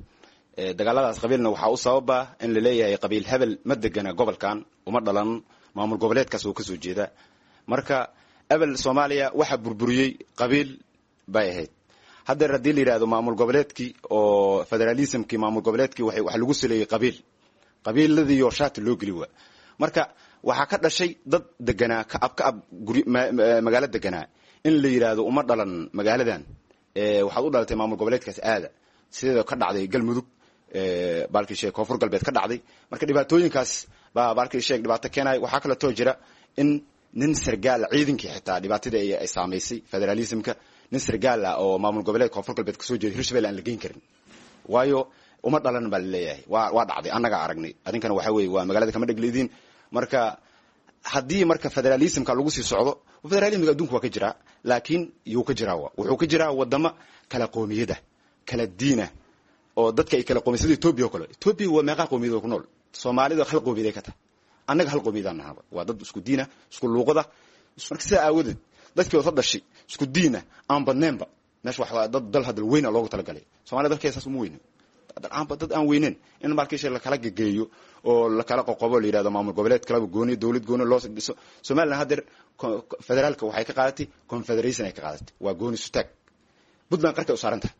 Dagaaladaas qabiilna waxaa u sababa in la leeyahay qabiil hebel ma degana gobolkan, uma dhalan, maamul goboleedkaas oo kasoo jeeda. Marka ebel Soomaaliya waxaa burburiyey qabiil bay ahayd. Haddeer haddii la yidhahdo maamul goboleedkii oo federalismkii maamul goboleedkii waxa lagu saleeyey qabiil, qabiiladiioo shaati loo geli waa. Marka waxaa ka dhashay dad deganaa ka ab ka ab guri magaalo deganaa in la yidhaahdo uma dhalan magaaladan, waxaad u dhalatay maamul goboleedkaas aada, sideeda ka dhacday Galmudug, baalkii sheeg Koonfur Galbeed ka dhacday. Marka dhibaatooyinkaas baa baalkii sheeg dhibaato keenaya. Waxaa kaleetoo jira in nin sargaal ciidankii xitaa dhibaatadii ay saamaysay federalismka, nin sargaal ah oo maamul goboleed Koonfur Galbeed kasoo jeeda Hirshabelle aan la geyn karin, waayo Uma dhalan baa laleeyahay. Waa waa dhacday, annagaa aragnay. Adinkana waxa weeye waa magaalada kama dhegleediin. Marka haddii marka federalismka lagu sii socdo, federalismka adduunka waa ka jiraa, laakiin yuu ka jiraa, wuxuu ka jiraa wadamo kala qoomiyada, kala diina, oo dadka ay kala qoomiy, sida Ethiopia oo kale. Ethiopia waa meeqa qoomiyad oo ku nool? Soomaalida hal qoomiyad ay ka tahay, annaga hal qoomiyadaan nahaba. Waa dad isku diina, isku luuqada. Marka sidaa aawadeed dadkii wada dhashay, isku diina, aan badneenba meesha wax dad dal hadal weyna loogu talagalay. Soomaalida dalkeeda saas uma weyno, aanba dad aan weyneyn in markiisha lakala gegeeyo oo lakala qoqobo, la yidhahdo maamul goboleed kalaba gooni, dowlad gooni loo dhiso. Somaliland haddeer federaalka waxay ka qaadatay confederation ay ka qaadatay, waa gooni sutaag. Puntland qarkay u saaran tahay,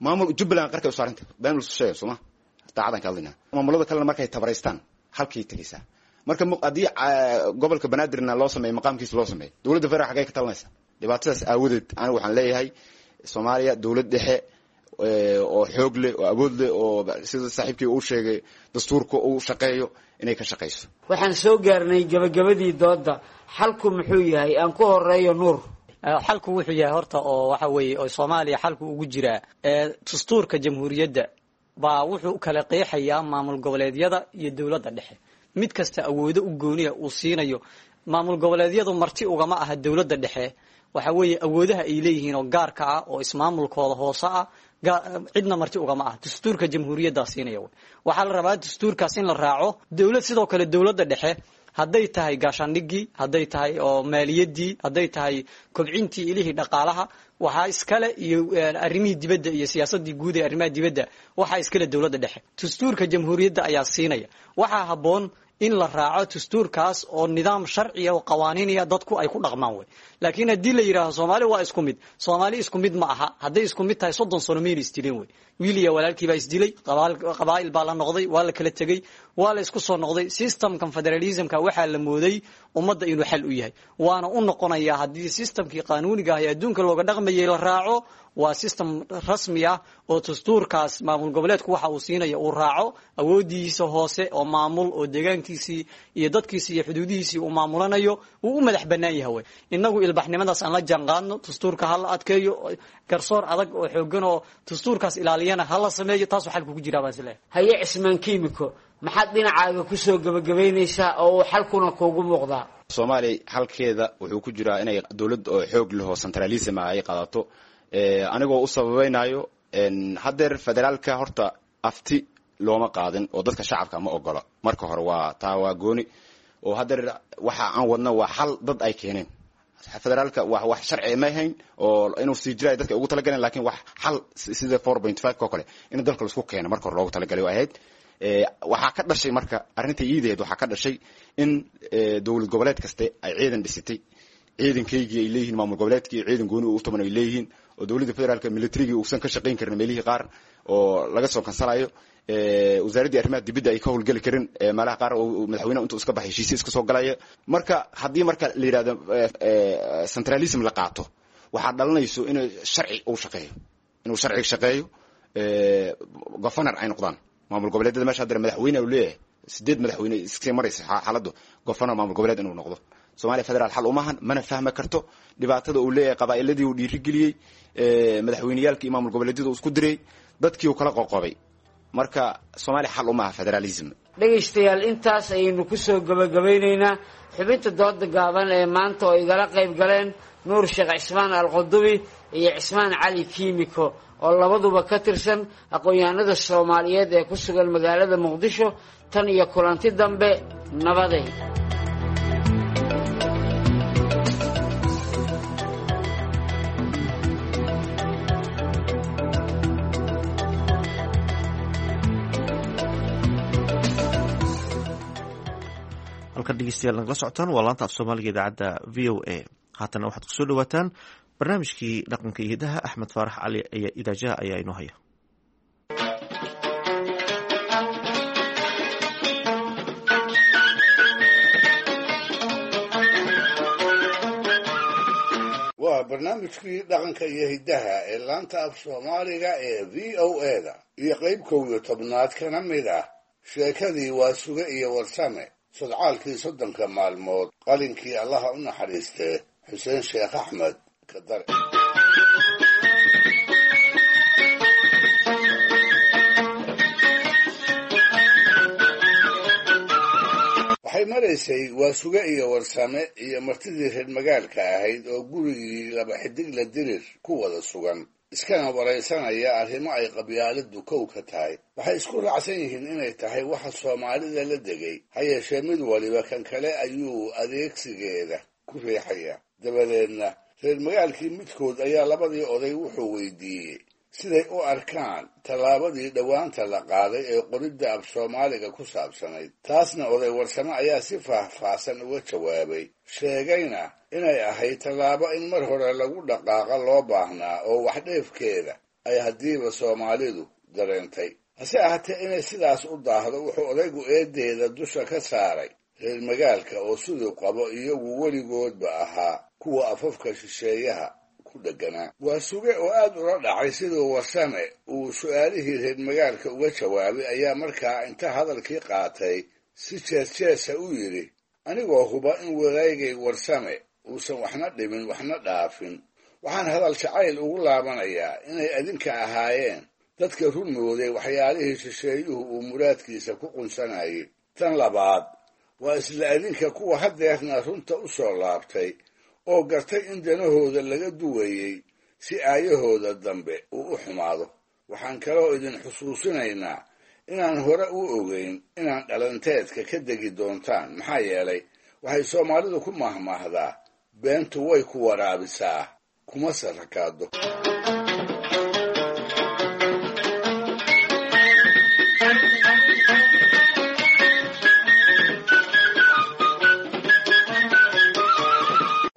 maamul Jubbaland qarkay u saaran tahay. Been lasu sheegay sooma, daacadan ka hadlaynaa. Maamulada kalena markay tabaraystaan halkay tegaysaa. Marka haddii gobolka Banaadirna loo sameeyo maqaamkiisa loo sameeyo, dowladda federal xaggay ka talinaysaa? Dhibaatadaas aawadeed anigu waxaan leeyahay Soomaaliya dowlad dhexe oo xoog leh oo awood leh oo sida saaxiibkii uu sheegay dastuurka uu shaqeeyo inay ka shaqeyso. Waxaan soo gaarnay gabagabadii doodda. Xalku muxuu yahay? Aan ku horeeyo Nuur. Xalku wuxuu yahay horta oo waxa weeye oo Soomaaliya xalku ugu jiraa, dastuurka jamhuuriyadda baa wuxuu kala qeexayaa maamul goboleedyada iyo dowladda dhexe, mid kasta awoodo u gooniya uu siinayo. Maamul goboleedyadu marti ugama aha dowladda dhexe. Waxa weeye awoodaha ay leeyihiin oo gaarka ah oo ismaamulkooda hoose ah cidna marti ugama ah, dastuurka jamhuuriyaddaa siinaya. Waxaa la rabaa dastuurkaas in la raaco. Dowlad sidoo kale dowladda dhexe hadday tahay gaashaandhigii, hadday tahay oo maaliyaddii, hadday tahay kobcintii ilihii dhaqaalaha, waxaa iskale iyo arrimihii dibadda iyo siyaasadii guud ee arrimaha dibadda, waxaa iskale dowladda dhexe. Dastuurka jamhuuriyadda ayaa siinaya. Waxaa habboon in la raaco dastuurkaas oo nidaam sharciya oo qawaaniinaya dadku ay ku dhaqmaan wey. Laakiin haddii la yidhaaho Soomaali waa isku mid, Soomaali isku mid ma aha. Hadday isku mid tahay soddon sano mayna isdileen wey. Wiil iyo walaalkii baa isdilay, qabaa'il baa la noqday, waa la kala tegey, waa la isku soo noqday. Systemkan federalismka waxaa la mooday ummadda inuu xal u yahay, waana u noqonayaa haddii systemkii qaanuuniga ah ee adduunka looga dhaqmayay la raaco. Waa system rasmi ah oo dastuurkaas maamul goboleedku waxa uu siinaya uu raaco, awoodiisa hoose oo maamul oo deegaankiisii iyo dadkiisii iyo xuduudihiisii uu maamulanayo, wuu u madax bannaan yahay wey. Innagu ilbaxnimadaas aan la jaanqaadno, dastuurka ha la adkeeyo, garsoor adag oo xooggan oo dastuurkaas ilaaliyana ha la sameeyo. Taasuu xalku ku jiraa baan isleeyahay. Haye Cismaan Kiimiko, maxaad dhinacaaga kusoo gebagabaynaysaa oo uu xalkuna kuugu muuqdaa? Soomaaliya xalkeeda wuxuu ku jiraa inay dowlad oo xoog leh oo centralism ah ay qaadato. Anigoo u sababaynayo, haddeer federaalka horta afti looma qaadin oo dadka shacabka ma ogola. Marka hore waa taa, waa gooni oo haddeer waxa aan wadno waa xal dad ay keeneen. Federaalka waa wax sharci ma ahayn oo inuu sii jiraay dadka ugu talagaleen, lakin wax xal sida four point five ko kale in dalka laisku keeno marka hore loogu talagalay ahayd. Waxaa ka dhashay marka arrinta iideed, waxaa ka dhashay in dowlad goboleed kaste ay ciidan dhisatay, ciidankaygii ay leeyihiin, maamul goboleedkii ciidan gooni u tuman ay leeyihiin, oo dowladda federaalka militarigii uusan ka shaqayn karin meelihii qaar oo laga soo kansalayo, wasaaraddii arrimaha dibadda ay ka howlgeli karin meelaha qaar, oo madaxweyneha intuu iska baxay heshiisya iska soo galaya. Marka haddii marka la yidhahdo centralism la qaato, waxaa dhalanayso inuu sharci uu shaqeeyo, inuu sharciga shaqeeyo, governor ay noqdaan maamul goboleedyada. Meesha haddana madaxweyne uu leeyahay sideed madaxweyne iskasii maraysa xaaladdu, governor maamul goboleed inuu noqdo. Soomaaliya federaal xal umahan, mana fahmi karto dhibaatada uu leeyahay. Qabaa'iladii uu dhiirigeliyey, madaxweyneyaalkii maamul goboleedyada uu isku diray, dadkii uu kala qoqobay. Marka Soomaaliya xal umaha federalism. Dhegaystayaal, intaas ayaynu kusoo gebagabaynaynaa xubinta dooda gaaban ee maanta oo igala qayb galeen Nuur Sheekh Cismaan Alqudubi iyo Cismaan Cali Kiimiko oo labaduba ka tirsan aqoon-yahanada Soomaaliyeed ee ku sugan magaalada Muqdisho. Tan iyo kulanti dambe, nabaday. Halkan dhegeystayaal nagala socotaan waa laanta af Soomaaliga idaacadda V O A. Haatana waxaad kusoo dhawaataan barnaamijkii dhaqanka iyo hidaha. Axmed Faarax Cali Idaajaha ayaa inoo haya. Waa barnaamijkii dhaqanka iyo hiddaha ee laanta af Soomaaliga ee V O A da iyo qayb kow iyo tobnaad kana mid ah sheekadii Waa Suge iyo Warsame sodcaalkii soddonka maalmood, qalinkii Allaha u naxariistee Xuseen Sheekh Axmed Kadare. Waxay maraysay Waasuge iyo Warsame iyo martidii reer magaalka ahayd oo gurigii laba xidigla Dirir ku wada sugan, iskana waraysanaya arrimo ay qabyaaladdu kow ka tahay. Waxay isku raacsan yihiin inay tahay waxa Soomaalida la degay, ha yeeshee mid waliba kan kale ayuu adeegsigeeda ku riixaya. Dabadeedna reer magaalkii midkood ayaa labadii oday wuxuu weydiiyey siday u arkaan tallaabadii dhowaanta la qaaday ee qoridda af Soomaaliga ku saabsanayd. Taasna oday Warsame ayaa si faahfaahsan uga jawaabay, sheegayna inay ahayd tallaabo in mar hore lagu dhaqaaqa loo baahnaa oo waxdheefkeeda ay haddiiba Soomaalidu dareentay. Hase ahaatee inay sidaas u daahdo wuxuu odaygu eedeeda dusha ka saaray reer magaalka oo siduu qabo iyagu weligoodba ahaa kuwa afafka shisheeyaha ku dheganaa. Waasuge oo aad ula dhacay siduu Warsame uu su'aalihii reer magaalka uga jawaabay ayaa markaa inta hadalkii qaatay si jees-jeesa u yidhi, anigoo huba in wadaygay Warsame uusan waxna dhimin waxna dhaafin, waxaan hadal jacayl ugu laabanayaa inay adinka ahaayeen dadka run mooday waxyaalihii shisheeyuhu uu muraadkiisa ku qunsanayay. Tan labaad waa isla adinka kuwa haddeerna runta u soo laabtay oo gartay in danahooda laga duwayey si aayahooda dambe uu u xumaado. Waxaan kaloo idin xusuusinaynaa inaan hore u ogeyn inaan dhalanteedka ka degi doontaan, maxaa yeelay waxay Soomaalidu ku mahmaahdaa beentu way ku waraabisaa kuma sarakaado.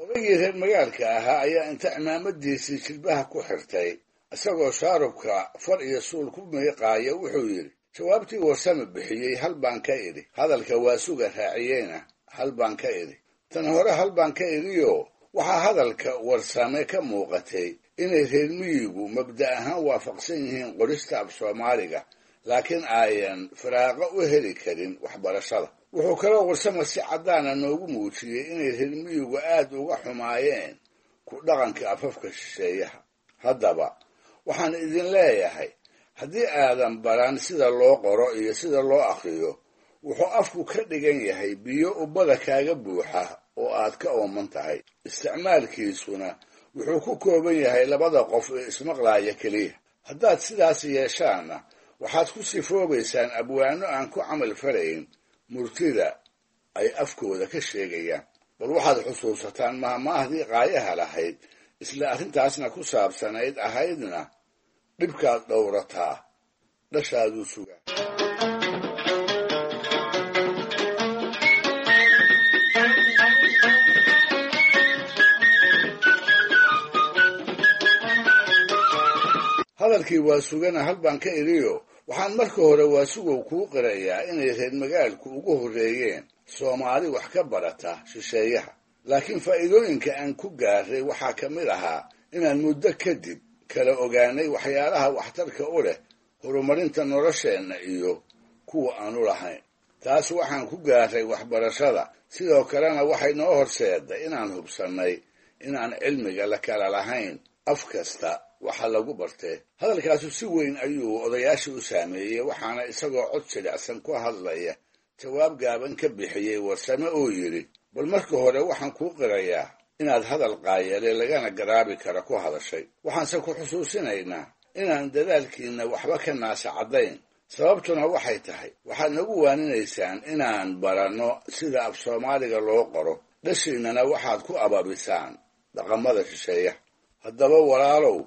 Odaygii reer magaalka ahaa ayaa inta cimaamadiisii jilbaha ku xirtay isagoo shaarubka far iyo suul ku miiqaaya wuxuu yidhi, jawaabtii Warsame bixiyey hal baan ka idhi, hadalka Waasuga raaciyeyna hal baan ka idhi. Tan hore hal baan ka idhiyo waxaa hadalka Warsame ka muuqatay inay reer miyigu mabda ahaan waafaqsan yihiin qorista af Soomaaliga, laakiin ayan firaaqo u heli karin waxbarashada. Wuxuu kaloo Warsame si caddaana noogu muujiyey inay reer miyigu aad uga xumaayeen ku dhaqanka afafka shisheeyaha. Haddaba waxaan idin leeyahay, haddii aadan baran sida loo qoro iyo sida loo akhriyo, wuxuu afku ka dhigan yahay biyo ubbada kaaga buuxa oo aad ka ooman tahay. Isticmaalkiisuna wuxuu ku kooban yahay labada qof ee ismaqlaaya keliya. Haddaad sidaas yeeshaanna waxaad ku sifoobaysaan abwaano aan ku camal falayn murtida ay afkooda ka sheegayaan. Bal waxaad xusuusataan mahmaahdii qaayaha lahayd isla arrintaasna ku saabsanayd, ahaydna dhibkaad dhowrataa dhashaaduu sugaa. Hadalkii Waasugana hal baan ka idhiyo waxaan marka hore Waasugow kuu qirayaa inay reer magaalku ugu horreeyeen Soomaali wax ka barata shisheeyaha, laakiin faa'iidooyinka aan ku gaaray waxaa ka mid ahaa inaan muddo kadib kala ogaanay waxyaalaha waxtarka u leh horumarinta nolosheenna iyo kuwa aanu lahayn. Taas waxaan ku gaaray waxbarashada, sidoo kalena waxay noo horseeday inaan hubsannay inaan cilmiga la kala lahayn af kasta waxa lagu bartee. Hadalkaasu si weyn ayuu odayaashii u saameeyey, waxaana isagoo cod jilicsan ku hadlaya jawaab gaaban ka bixiyey Warsame oo yidhi, bal marka hore waxaan kuu qirayaa inaad hadal qaayale lagana garaabi kara ku hadashay. Waxaanse ku xusuusinaynaa inaan dadaalkiinna waxba ka naasacadayn. Sababtuna waxay tahay waxaad nagu waaninaysaan inaan baranno sida af Soomaaliga loo qoro, dhashiinnana waxaad ku ababisaan dhaqamada shisheeya. Haddaba walaalow,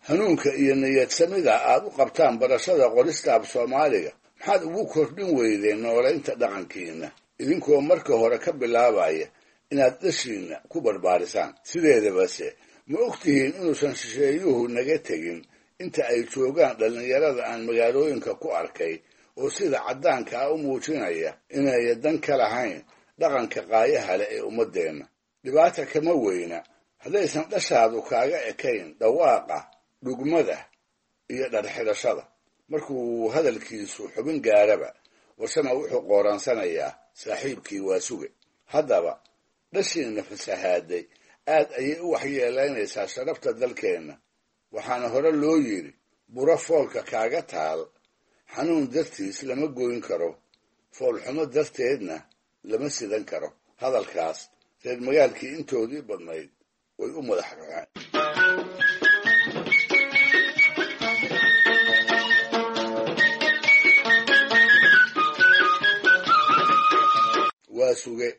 hanuunka iyo niyadsamida aad u qabtaan barashada qorista af Soomaaliga maxaad ugu kordhin weydeen noolaynta dhaqankiinna, idinkoo marka hore ka bilaabaya inaad dhashiinna ku barbaarisaan. Sideedabase ma ogtihiin inuusan shisheeyuhu naga tegin inta ay joogaan dhallinyarada aan magaalooyinka ku arkay oo sida caddaanka ah u muujinaya inay dan ka lahayn dhaqanka qaayaha leh ee ummaddeenna. Dhibaata kama weyna haddaysan dhashaadu kaaga ekayn dhawaaqa, dhugmada iyo dharxidhashada. Markuu hadalkiisu xubin gaaraba, Warsame wuxuu qooransanayaa saaxiibkii Waasuge. Haddaba dhashiinna fasahaaday aad ayay u waxyeelaynaysaa sharafta dalkeenna, waxaana hore loo yidhi buro foolka kaaga taal xanuun dartiis lama goyn karo, foolxumo darteedna lama sidan karo. Hadalkaas reer magaalkii intoodii badnayd way u madax ruxeen. Waa suge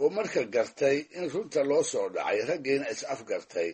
oo marka gartay in runta loo soo dhacay, raggiina is afgartay,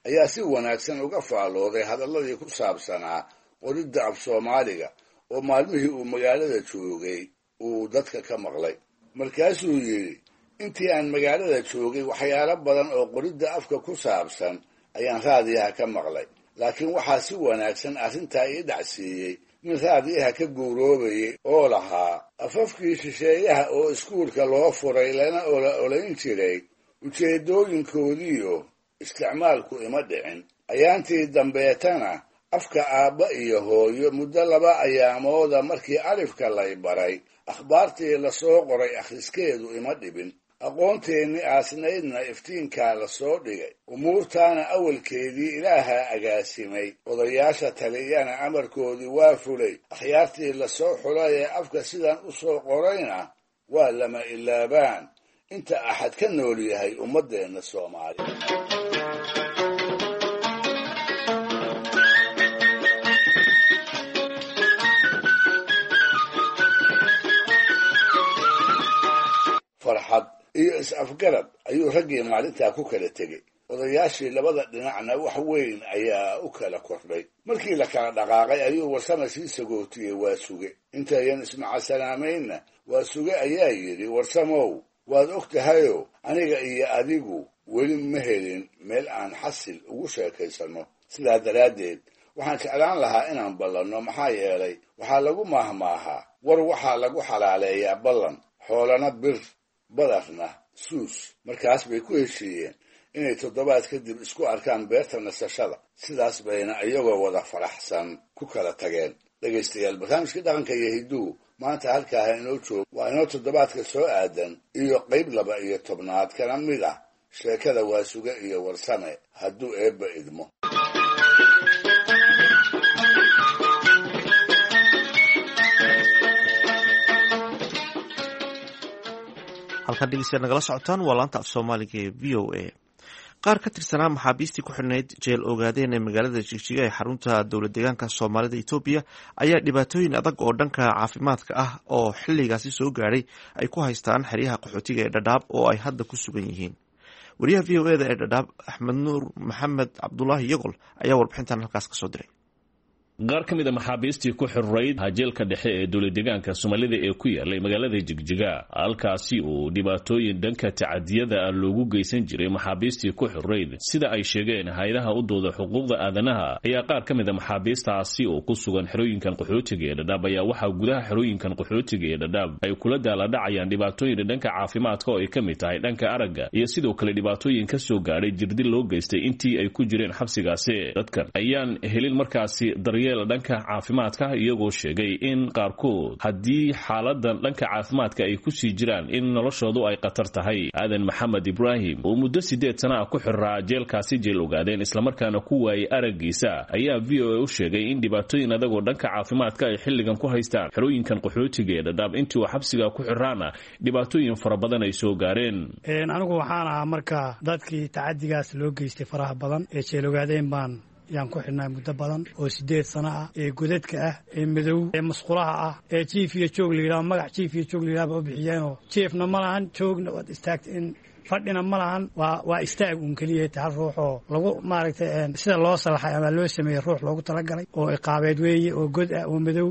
ayaa si wanaagsan uga faalooday hadalladii ku saabsanaa qoridda af Soomaaliga oo maalmihii uu magaalada joogay uu dadka ka maqlay. Markaasuu yidhi, intii aan magaalada joogay waxyaalo badan oo qoridda afka ku saabsan ayaan raadiyaha ka maqlay, laakiin waxaa si wanaagsan arrintaa ii dhacsiiyey nin raadiyaha ka guuroobayay oo lahaa afafkii shisheeyaha oo iskuulka loo furay lana ola olayn jiray ujeeddooyinkoodiiyo isticmaalku ima dhicin. Ayaantii dambeetana afka aabba iyo hooyo muddo laba ayaamooda markii alifka lay baray, akhbaartii lasoo qoray akhriskeedu ima dhibin. Aqoonteennii aasnaydna iftiinkaa lasoo dhigay, umuurtaana awalkeedii ilaahaa agaasimay, odayaasha taliyana amarkoodii waa fulay, akhyaartii lasoo xulay ee afka sidan u soo qorayna waa lama ilaabaan inta axad ka nool yahay ummaddeenna Soomaaliya. Farxad iyo is-afgarad ayuu raggii maalintaa ku kala tegey. Odayaashii labada dhinacna wax weyn ayaa u kala kordhay. Markii la kala dhaqaaqay ayuu Warsame sii sagootiyey waa suge. Intayan ismacasalaameynna waa suge ayaa yidhi, Warsamow, waad og tahayo aniga iyo adigu weli ma helin meel aan xasil ugu sheekaysanno. Sidaa daraaddeed waxaan jeclaan lahaa inaan ballanno, maxaa yeelay waxaa lagu maahmaahaa war waxaa lagu xalaaleeyaa ballan, xoolana bir, badarna suus. Markaas bay ku heshiiyeen inay toddobaad kadib isku arkaan beerta nasashada. Sidaas bayna iyagoo wada faraxsan ku kala tageen. Dhegaystayaal, barnaamijkii dhaqanka iyo hidduhu maanta halkaaha inoo joogo. Waa inoo toddobaadka soo aadan iyo qayb laba iyo tobnaad kana mid ah sheekada Waasuge iyo Warsame, hadduu eebba idmo. Halkaan dhegeystayaal nagala socotaan waa laanta af Soomaaliga ee V O A. Qaar ka tirsanaa maxaabiistii ku xidhnayd jeel Ogaadeen ee magaalada Jigjiga ee xarunta dowlad deegaanka Soomaalida Etoobiya ayaa dhibaatooyin adag oo dhanka caafimaadka ah oo xilligaasi soo gaadhay ay ku haystaan xeryaha qaxootiga ee Dhadhaab oo ay hadda ku sugan yihiin. Wariyaha V O eda ee Dhadhaab, Axmed Nuur Maxamed Cabdulaahi Yagol, ayaa warbixintan halkaas kasoo diray. Qaar ka mid a maxaabiistii ku xirrayd hajeelka dhexe ee dowlad deegaanka Soomaalida ee ku yaalay magaalada Jigjiga, halkaasi uu dhibaatooyin dhanka tacadiyada ah loogu geysan jiray maxaabiistii ku xirrayd, sida ay sheegeen hay-adaha u dooda xuquuqda aadanaha, ayaa qaar ka mid a maxaabiistaasi oo ku sugan xerooyinkan qaxootiga ee Dhadhaab ayaa waxaa gudaha xerooyinkan qaxootiga ee Dhadhaab ay kula daaladhacayaan dhibaatooyin dhanka caafimaadka oo ay ka mid tahay dhanka aragga iyo sidoo kale dhibaatooyin ka soo gaadhay jirdil loo geystay intii ay ku jireen xabsigaasi. Dadkan ayaan helin markaasi daryeel dhanka caafimaadka, iyagoo sheegay in qaarkood haddii xaaladan dhanka caafimaadka ay ku sii jiraan in noloshoodu ay khatar tahay. Aadan Maxamed Ibraahim oo muddo siddeed sana ah ku xiraa jeelkaasi jeel Ogaadeen, islamarkaana ku waayay araggiisa, ayaa V O A u sheegay in dhibaatooyin adagoo dhanka caafimaadka ay xilligan ku haystaan xerooyinkan qaxootiga ee Dhadhaab. Intii uu xabsiga ku xiraana dhibaatooyin fara badan ay soo gaareen. Anigu waxaan ahaa marka dadkii tacadigaas loo geystay faraha badan ee jeel Ogaadeen baan yaan ku xidhnaa muddo badan oo siddeed sano ah, ee godadka ah, ee madow, ee masqulaha ah, ee jiif iyo joog la yidhaho, magac jiif iyo joog la yidhaha ba u bixiyeenoo jiifna ma lahan, joogna waad istaagta in fadhina ma lahan, waa waa istaag uun keliya. Hal ruux oo lagu maaragtay sida loo salaxay ama loo sameeyey ruux loogu talagalay oo iqaabeed weeye oo god ah oo madow.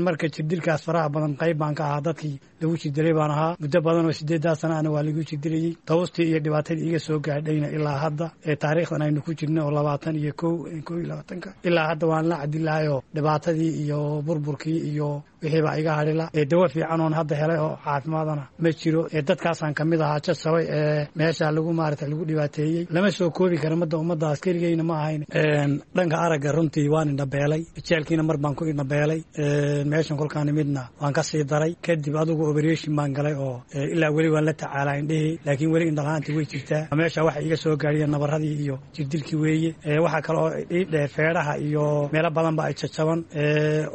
Marka jirdilkaas faraha badan qayb baan ka ahaa, dadkii lagu jirdilay baan ahaa muddo badan oo sideeddaa sana ana waa lagu jirdilayey. Tawstii iyo dhibaatadii iga soo gaadhayna ilaa hadda ee taariikhdan aynu ku jirna oo labaatan iyo kow kow iyo labaatanka ilaa hadda waan la cadilahayoo dhibaatadii iyo burburkii iyo wixii baa iga hadhila. Ee dawo fiican oon hadda helay oo caafimaadana ma jiro. Ee dadkaasaan kamid ahaa jajabay ee meesha lagu maarata lagu dhibaateeyey, lama soo koobi kara madda ummaddaas, keligeyna ma ahayn. Dhanka aragga runtii waan indhabeelay, jeelkiina mar baan ku indhabeelay, meeshan kolkaan imidna waan ka sii daray. Kadib adigu operation baan galay oo ilaa weli waan la tacaalaa indhihii, laakiin weli indhalaantii way jirtaa. Meesha waxa iga soo gaadhiya nabaradii iyo jirdilkii weeye. Waxaa kale oo ii dheer feedhaha iyo meelo badan ba ay jajaban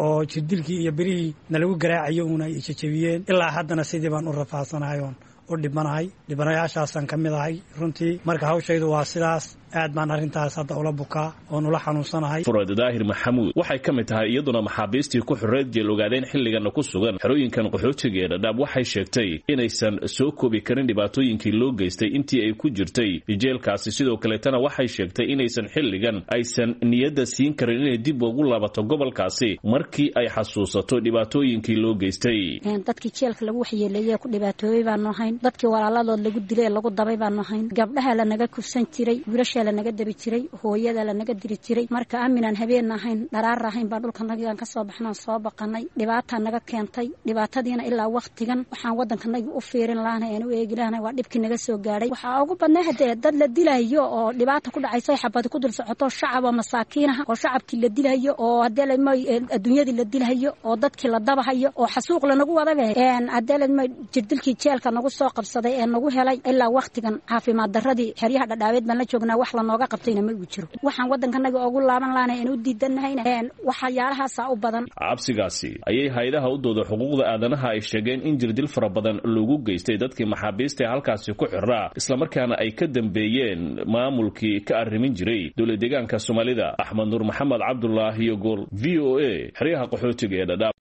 oo jirdilkii iyo birihii nalagu garaacayo uuna ay jajabiyeen. Ilaa haddana sidii baan u rafaadsanahay oon u dhibanahay, dhibanayaashaasaan ka mid ahay runtii. Marka hawshaydu waa sidaas, aad baan arrintaas hadda ula bukaa oon ula xanuunsanahay. Furad Daahir Maxamuud waxay ka mid tahay iyaduna maxaabiistii ku xorreed jeel Ogaadeen xilligana ku sugan xerooyinkan qaxootiga ee Dhadhaab. Waxay sheegtay inaysan soo koobi karin dhibaatooyinkii loo geystay intii ay ku jirtay jeelkaasi. Sidoo kaleetana waxay sheegtay inaysan xilligan aysan niyadda siin karin inay dib ugu laabato gobolkaasi markii ay xasuusato dhibaatooyinkii loo geystay. Dadkii jeelka lagu waxyeeleeyey ee ku dhibaatoobay baanu ahayn, dadkii walaaladood lagu dilay ee lagu dabay baanu ahayn, gabdhaha lanaga kufsan jiray, wiilasha lanaga dabi jiray, hooyada lanaga diri jiray. Marka aaminaan habeen ahayn dharaar ahayn baan dhulkanagaan ka soo baxnaan soo baqanay, dhibaataa naga keentay. Dhibaatadiina ilaa waqtigan waxaan waddankanagi u fiirin lahanay aan u eegi lahanay waa dhibkii naga soo gaadhay. Waxaa ugu badnay haddee dad la dilayo oo dhibaata ku dhacayso, xabadi ku dul socoto, shacab oo masaakiinaha oo shacabkii la dilayo, oo haddee lama adduunyadii la dilayo, oo dadkii la dabahayo, oo xasuuq lanagu wadabe. Haddee lama jirdilkii jeelka nagu soo qabsaday ee nagu helay ilaa waqtigan caafimaad darradii xeryaha Dhadhaabeed baan la joognaa, wax lanooga qabtayna ma uu jiro. Waxaan waddankanaga ugu laaban lahanay aan u diidanahayna waxyaalahaasa u badan. Cabsigaasi ayay hay-adaha u dooda xuquuqda aadanaha ay sheegeen in jirdil fara badan loogu geystay dadkii maxaabiista ee halkaasi ku xiraa, islamarkaana ay ka dambeeyeen maamulkii ka arrimin jiray dowlad deegaanka Soomaalida. Axmed Nuur Maxamed Cabdulaahi Gool, V O A, xeryaha qaxootiga ee Dhadhaab.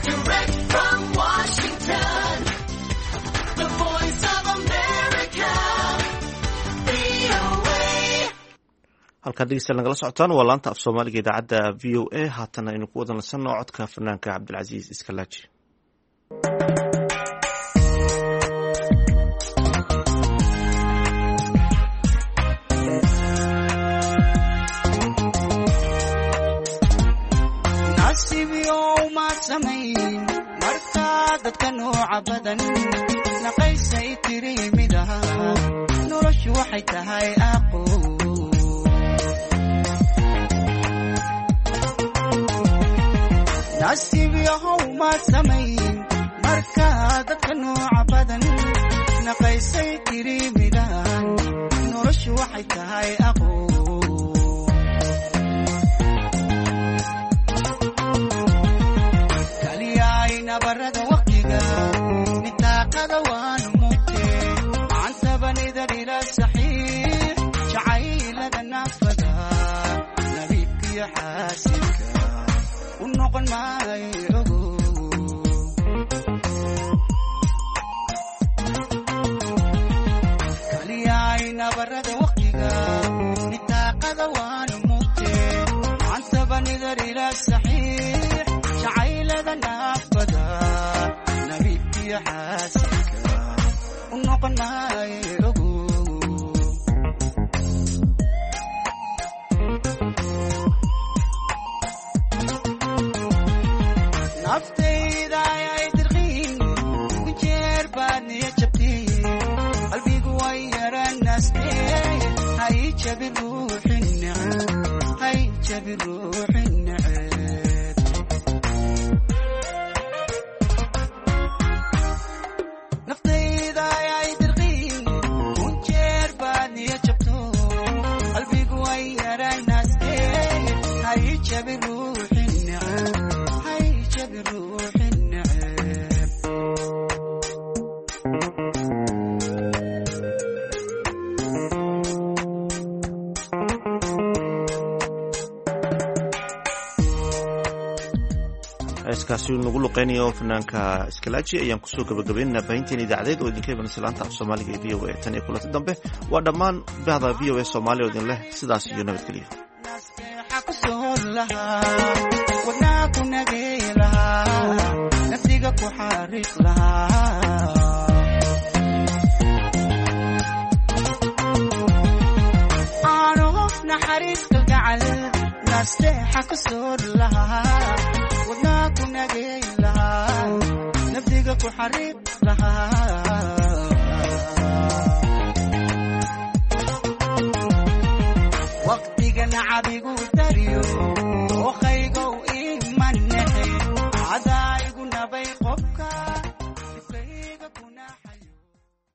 Direct from Washington, the voice of America, V O A. Halkaad dhegeystayaal nagala socotaan waa laanta af Soomaaliga idaacadda V O A. Haatana aynu ku wada nasanno codka fanaanka Cabdilcasiis Iskalaaji. Nasiibyow maad samayn markaa dadka nooca badan naqaysay tiri mid ahaa, noloshu waxay tahay aqo. Nasiibyahow maad samayn markaa dadka nooca badan naqaysay tiri midaan, noloshu waxay tahay aqo. Kaliyay nabarada waqtiga nitaaqada waanu mugte macantabanida ila saxiix jacaylada naafada nabiibkiyo xaasidka u noqon maayo ogo. Kaliyay nabarada waqtiga nitaaqada waanu mugte macantabanida ila saxiix jacaylada naafada nabiibkiyo xaasidka u noqon maayo ogo. Naftayda ayay dirqiin ku jeer baad niya jabtay, qalbigu way yaranaastee, hay jabi ruuxi neceb, hay jabi ruuxi neceb. Naftayda ayay dirqiin ku jeer baad niya jabto, qalbigu way yaranaastee, hay jabi ruuxi neceb, hay jabi ruuxi neceb. Heeskaasi uu nagu luqeynayo fanaanka Iskalaaji ayaan kusoo gabagabaynaynaa baahinteen idaacadeed oo idinka imanaysa laanta af Soomaaliga ee V O A. Tan iyo kulanti dambe waa dhammaan bahda V O A Soomaaliya oo idin leh sidaas iyo nabadgelyo. Nasteexa ku soor lahaa, wadnaa ku nagey lahaa, nafsiga ku xariiq lahaa. Aano naxariis kalgacal nasteexa ku soor lahaa, wadnaa ku nagey lahaa, nafsiga ku xariiq lahaa.